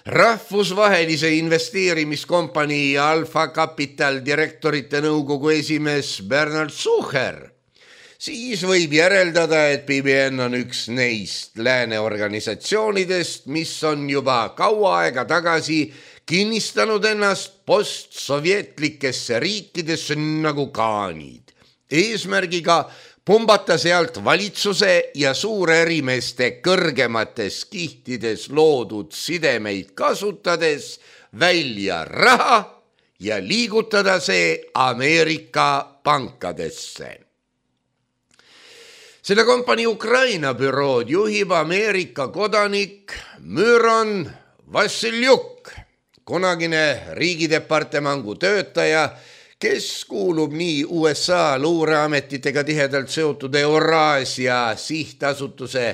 rahvusvahelise investeerimiskompanii Alfa Capital direktorite nõukogu esimees Bernard Sucher, siis võib järeldada, et PBN on üks neist lääne organisatsioonidest, mis on juba kaua aega tagasi kinnistanud ennast postsovjetlikesse riikidesse nagu kaanid, eesmärgiga pumbata sealt valitsuse ja suurärimeeste kõrgemates kihtides loodud sidemeid kasutades välja raha ja liigutada see Ameerika pankadesse. Selle kompanii Ukraina bürood juhib Ameerika kodanik Myron Vassiljuk, kunagine riigidepartemangu töötaja, kes kuulub nii USA luureametitega tihedalt seotud Euraasia sihtasutuse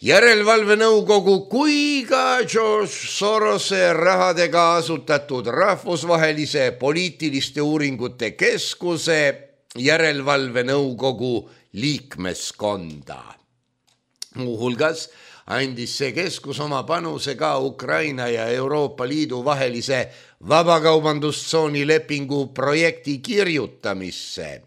järelevalvenõukogu kui ka George Sorose rahadega asutatud rahvusvahelise poliitiliste uuringute keskuse järelevalvenõukogu liikmeskonda. Muuhulgas andis see keskus oma panuse ka Ukraina ja Euroopa Liidu vahelise vabakaubandustsooni lepingu projekti kirjutamisse,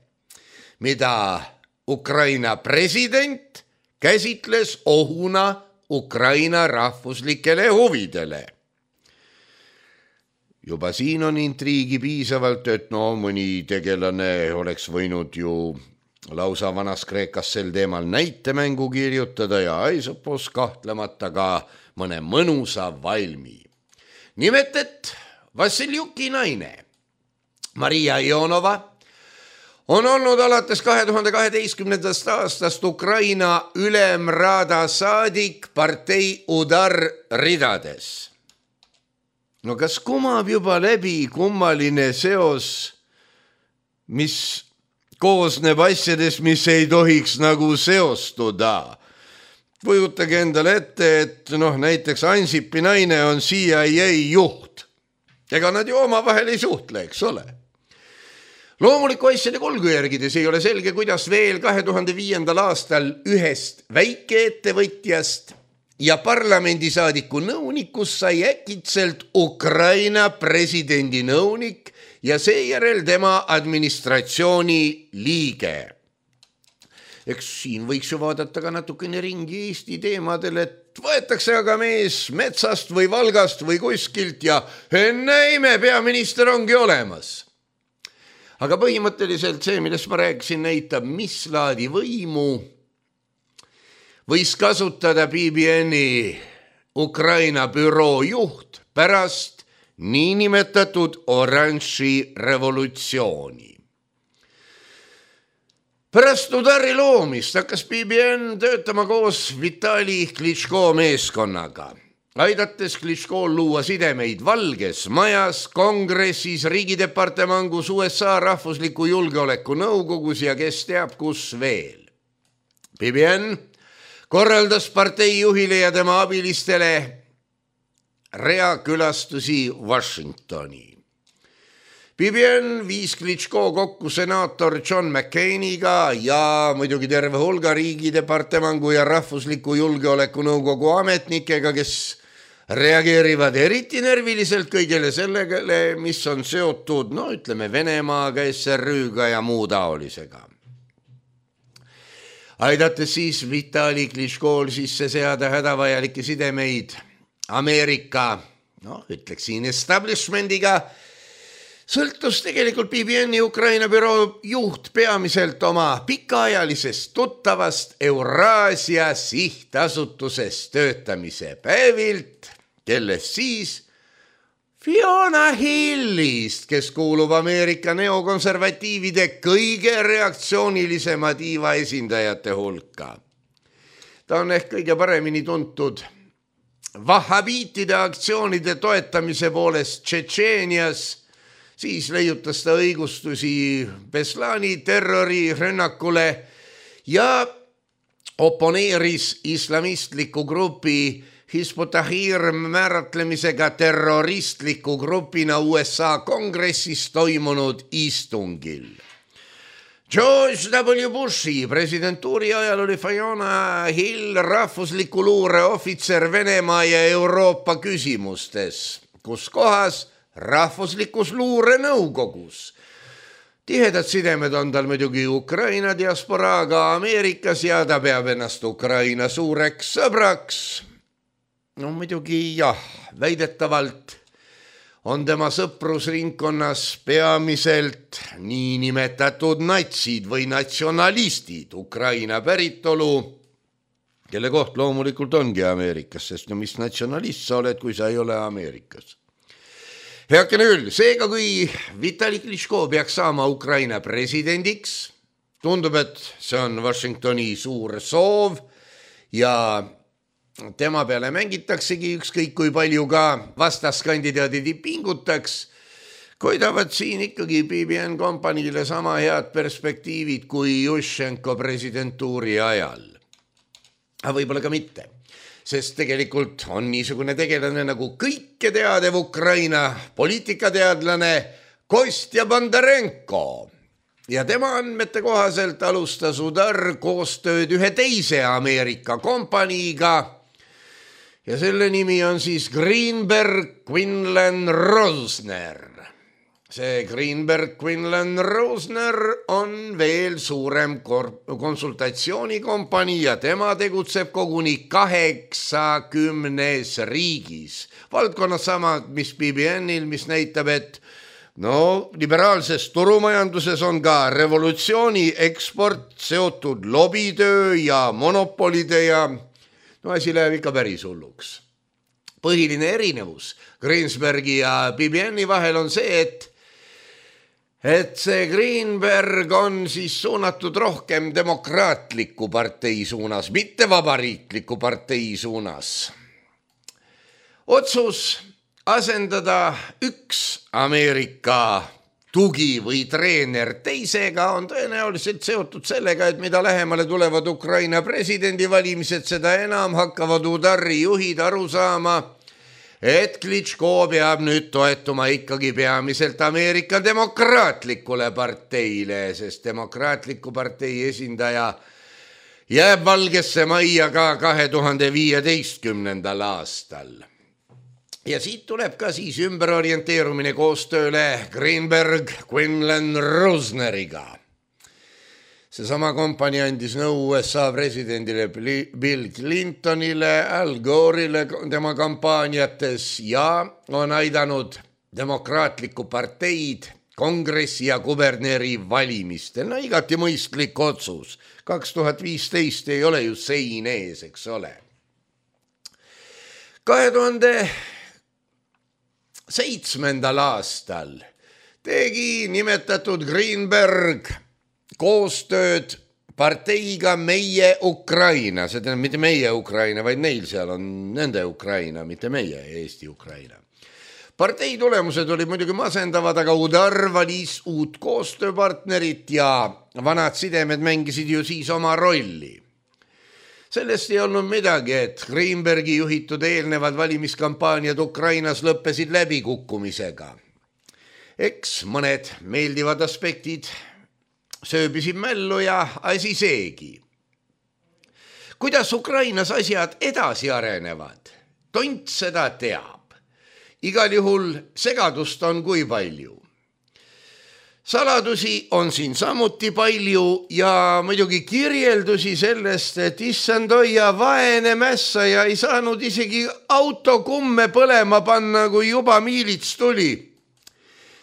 mida Ukraina president käsitles ohuna Ukraina rahvuslikele huvidele. Juba siin on intriigi piisavalt, et mõni tegelane oleks võinud ju lausa vanas Kreekas sel teemal näitemängu kirjutada ja Aisopos kahtlemata ka mõne mõnusa valmi. Nimelt, et Vassiljuki naine Maria Ionova on olnud alates 2012. aastast Ukraina ülemraada saadik partei Udar ridades. No kas kumab juba läbi kummaline seos, mis koosneb asjadest, mis ei tohiks nagu seostuda? Kujutage endale ette, et näiteks Ansipi naine on CIA juht. Ega nad ju omavahel ei suhtle, eks ole. Loomuliku asjade kolgu järgides ei ole selge, kuidas veel 2005. aastal ühest väikeettevõtjast ja parlamendisaadiku nõunikust sai äkitselt Ukraina presidendi nõunik ja seejärel tema administratsiooni liige. Eks siin võiks ju vaadata ka natukene ringi Eesti teemadel, et võetakse aga mees metsast või Valgast või kuskilt ja enne peaminister ongi olemas. Aga põhimõtteliselt see, millest ma rääkisin, näitab, mis laadi võimu võis kasutada BBN-i Ukraina büroo juht pärast niinimetatud oranži revolutsiooni. Pärast Udari loomist hakkas BBN töötama koos Vitali Klitschko meeskonnaga, aidates Klitschkol luua sidemeid Valges Majas, Kongressis, Riigidepartemangus, USA rahvusliku julgeoleku nõukogus ja kes teab kus veel. BBN korraldas partei juhile ja tema abilistele rea külastusi Washingtoni. BBN viis Klitschko kokku senaator John McCainiga ja muidugi terve hulga Riigidepartemangu ja rahvusliku julgeoleku nõukogu ametnikega, kes reageerivad eriti nerviliselt kõigele sellegele, mis on seotud, Venemaaga, SRÜ-ga ja muu taolisega. Aidates siis Vitali Klitschkol sisse seada hädavajalikke sidemeid Ameerika, ütleksin establishmendiga, sõltus tegelikult BBN-i Ukraina büroo juht peamiselt oma pikaajalisest tuttavast Euraasia sihtasutuses töötamise päevilt, kellest siis Fiona Hillist, kes kuulub Ameerika neokonservatiivide kõige reaktsioonilisema tiiva esindajate hulka. Ta on ehk kõige paremini tuntud vahhabiitide aktsioonide toetamise poolest Tšetšeenias, siis leiutas ta õigustusi Beslani terrorirünnakule ja oponeeris islamistliku grupi Hizb ut-Tahrir määratlemisega terroristliku grupina USA kongressis toimunud istungil. George W. Bushi presidentuuri ajal oli Fiona Hill rahvusliku luure ohvitser Venemaa ja Euroopa küsimustes, kus kohas rahvuslikus luure nõukogus. Tihedad sidemed on tal muidugi Ukraina diasporaaga Ameerikas ja ta peab ennast Ukraina suureks sõbraks. Muidugi jah, väidetavalt on tema sõprusringkonnas peamiselt niinimetatud natsid või natsionalistid Ukraina päritolu, kelle koht loomulikult ongi Ameerikas, sest mis natsionalist sa oled, kui sa ei ole Ameerikas. Heakene küll, seega kui Vitali Klitschko peaks saama Ukraina presidendiks, tundub, et see on Washingtoni suur soov ja tema peale mängitaksegi ükskõik kui palju ka vastaskandidaadid pingutaks. koidavad siin ikkagi BBN kompaniile sama head perspektiivid kui Juščenko presidentuuri ajal. Aga võib-olla ka mitte, sest tegelikult on niisugune tegelane nagu kõike teadev Ukraina poliitikateadlane Kostja Bondarenko. Ja tema andmete kohaselt alustas Udar koostööd ühe teise Ameerika kompaniiga ja selle nimi on siis Greenberg Quinlan Rosner. See Greenberg Quinlan Rosner on veel suurem konsultatsioonikompanii ja tema tegutseb koguni 80 riigis. Valdkonnas samad, mis BBNil, mis näitab, et liberaalses turumajanduses on ka revolutsiooni eksport seotud lobitöö ja monopolide ja asi läheb ikka päris hulluks. Põhiline erinevus Greensbergi ja BBNi vahel on see, et see Greenberg on siis suunatud rohkem demokraatliku partei suunas, mitte vabariikliku partei suunas. Otsus asendada üks Ameerika tugi või treener teisega on tõenäoliselt seotud sellega, et mida lähemale tulevad Ukraina presidendivalimised, seda enam hakkavad Udari juhid aru saama, et Klitschko peab nüüd toetuma ikkagi peamiselt Ameerika demokraatlikule parteile, sest demokraatliku partei esindaja jääb Valgesse Majja ka 2015. aastal. Ja siit tuleb ka siis ümberorienteerumine koostööle Greenberg Quinlan Rosneriga. Seesama kompanii andis nõu USA presidendile Bill Clintonile, Al Gore'ile tema kampaaniates ja on aidanud demokraatlikku parteid kongressi ja guberneri valimistel. Igati mõistlik otsus. 2015 ei ole ju sein ees, eks ole. 2007. aastal tegi nimetatud Greenberg koostööd parteiga Meie Ukraina, see tähendab mitte meie Ukraina, vaid neil seal on nende Ukraina, mitte meie Eesti Ukraina. Partei tulemused olid muidugi masendavad, aga Udar valis uut koostööpartnerit ja vanad sidemed mängisid ju siis oma rolli. Sellest ei olnud midagi, et Greenbergi juhitud eelnevad valimiskampaaniad Ukrainas lõppesid läbikukkumisega. Eks mõned meeldivad aspektid sööbisid mällu ja asi seegi. Kuidas Ukrainas asjad edasi arenevad? Tont seda teab. Igal juhul segadust on kui palju. Saladusi on siin samuti palju ja muidugi kirjeldusi sellest, et issand oia vaene mässaja ei saanud isegi autokumme põlema panna, kui juba miilits tuli.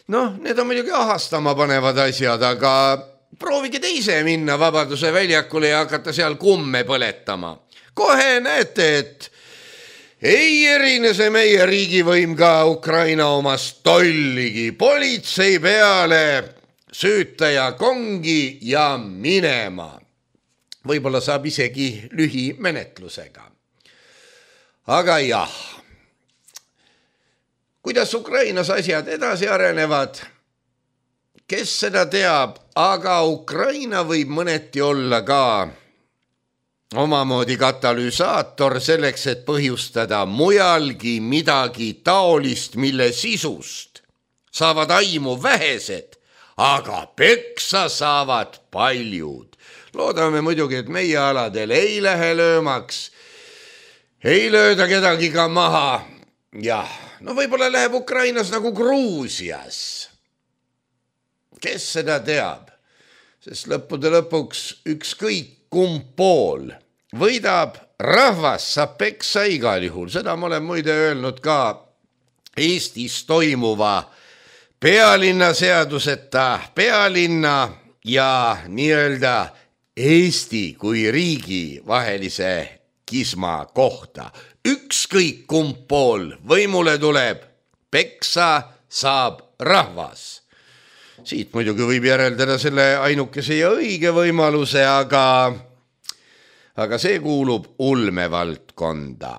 Need on muidugi ahastama panevad asjad, aga proovige teise minna Vabaduse väljakule ja hakata seal kumme põletama. Kohe näete, et ei erine see meie riigivõim ka Ukraina omast tolligi. Politsei peale, süütaja kongi ja minema. Võib-olla saab isegi lühimenetlusega. Aga jah, kuidas Ukrainas asjad edasi arenevad, kes seda teab, aga Ukraina võib mõneti olla ka omamoodi katalüsaator selleks, et põhjustada mujalgi midagi taolist, mille sisust saavad aimu vähesed, aga peksa saavad paljud. Loodame muidugi, et meie aladel ei lähe löömaks, ei lööda kedagi ka maha. Jah, võib-olla läheb Ukrainas nagu Gruusias. Kes seda teab? Sest lõppude lõpuks ükskõik kumb pool võidab, rahvas saab peksa igal juhul. Seda ma olen muide öelnud ka Eestis toimuva pealinna seaduseta pealinna ja nii-öelda Eesti kui riigi vahelise kisma kohta. Ükskõik kumb pool võimule tuleb, peksa saab rahvas. Siit muidugi võib järeldada selle ainukese ja õige võimaluse, aga see kuulub ulmevaldkonda.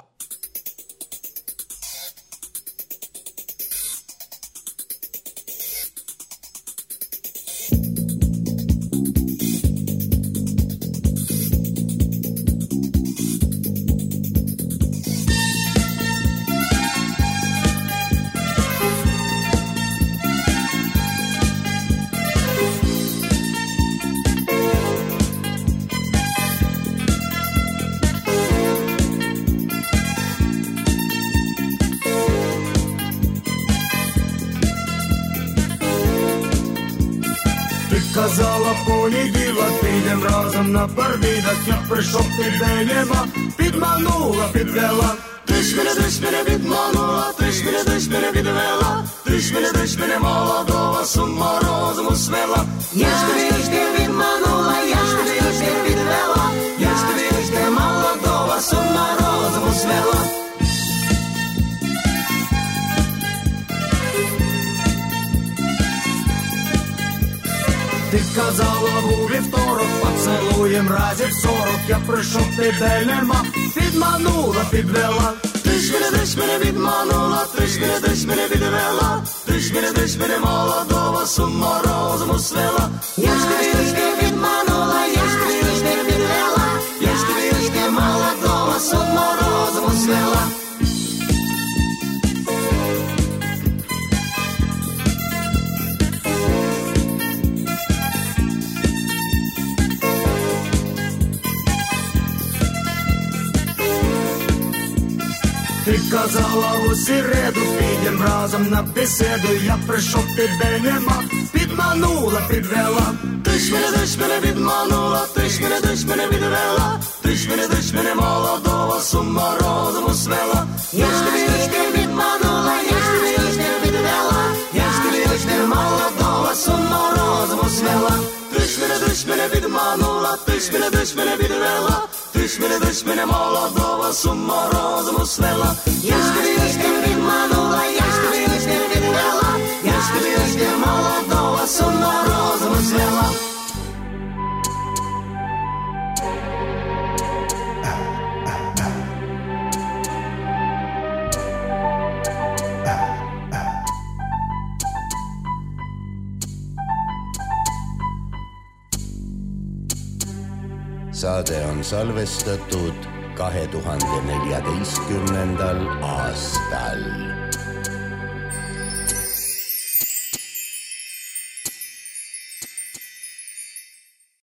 казала понеділок, підем разом на барбідок. Я прийшов, тебе нема, підманула, підвела. Ти ж мене відманула, ти ж мене відвела. Ти ж мене молодого з ума розуму свела. Я ж тебе відманула, я ж тебе відвела. Я ж тебе молодого з ума розуму свела. Ти казала у вівторок, поцілуєм разів 40. Я прийшов, тебе нема, підманула, підвела. Ти ж мене відманула, ти ж мене відвела. Ти ж мене молодого з ума розуму свела. Я ж тебе відманула, я ж тебе відвела. Я ж тебе молодого з ума розуму свела. Ти казала у середу, підем разом на беседу. Я прийшов, тебе нема, підманула, підвела. Ти ж мене відманула, ти ж мене відвела. Ти ж мене молодого з ума розуму свела. Я ж тебе відманула, я ж тебе відвела. Я ж тебе молодого з ума розуму свела. Ти ж мене відманула, ти ж мене відвела. Ти ж мене молодого з ума розуму свела. Я ж тебе відманула, я ж тебе відвела. Я ж тебе молодого з ума розуму свела. Saade on salvestatud 2014. aastal.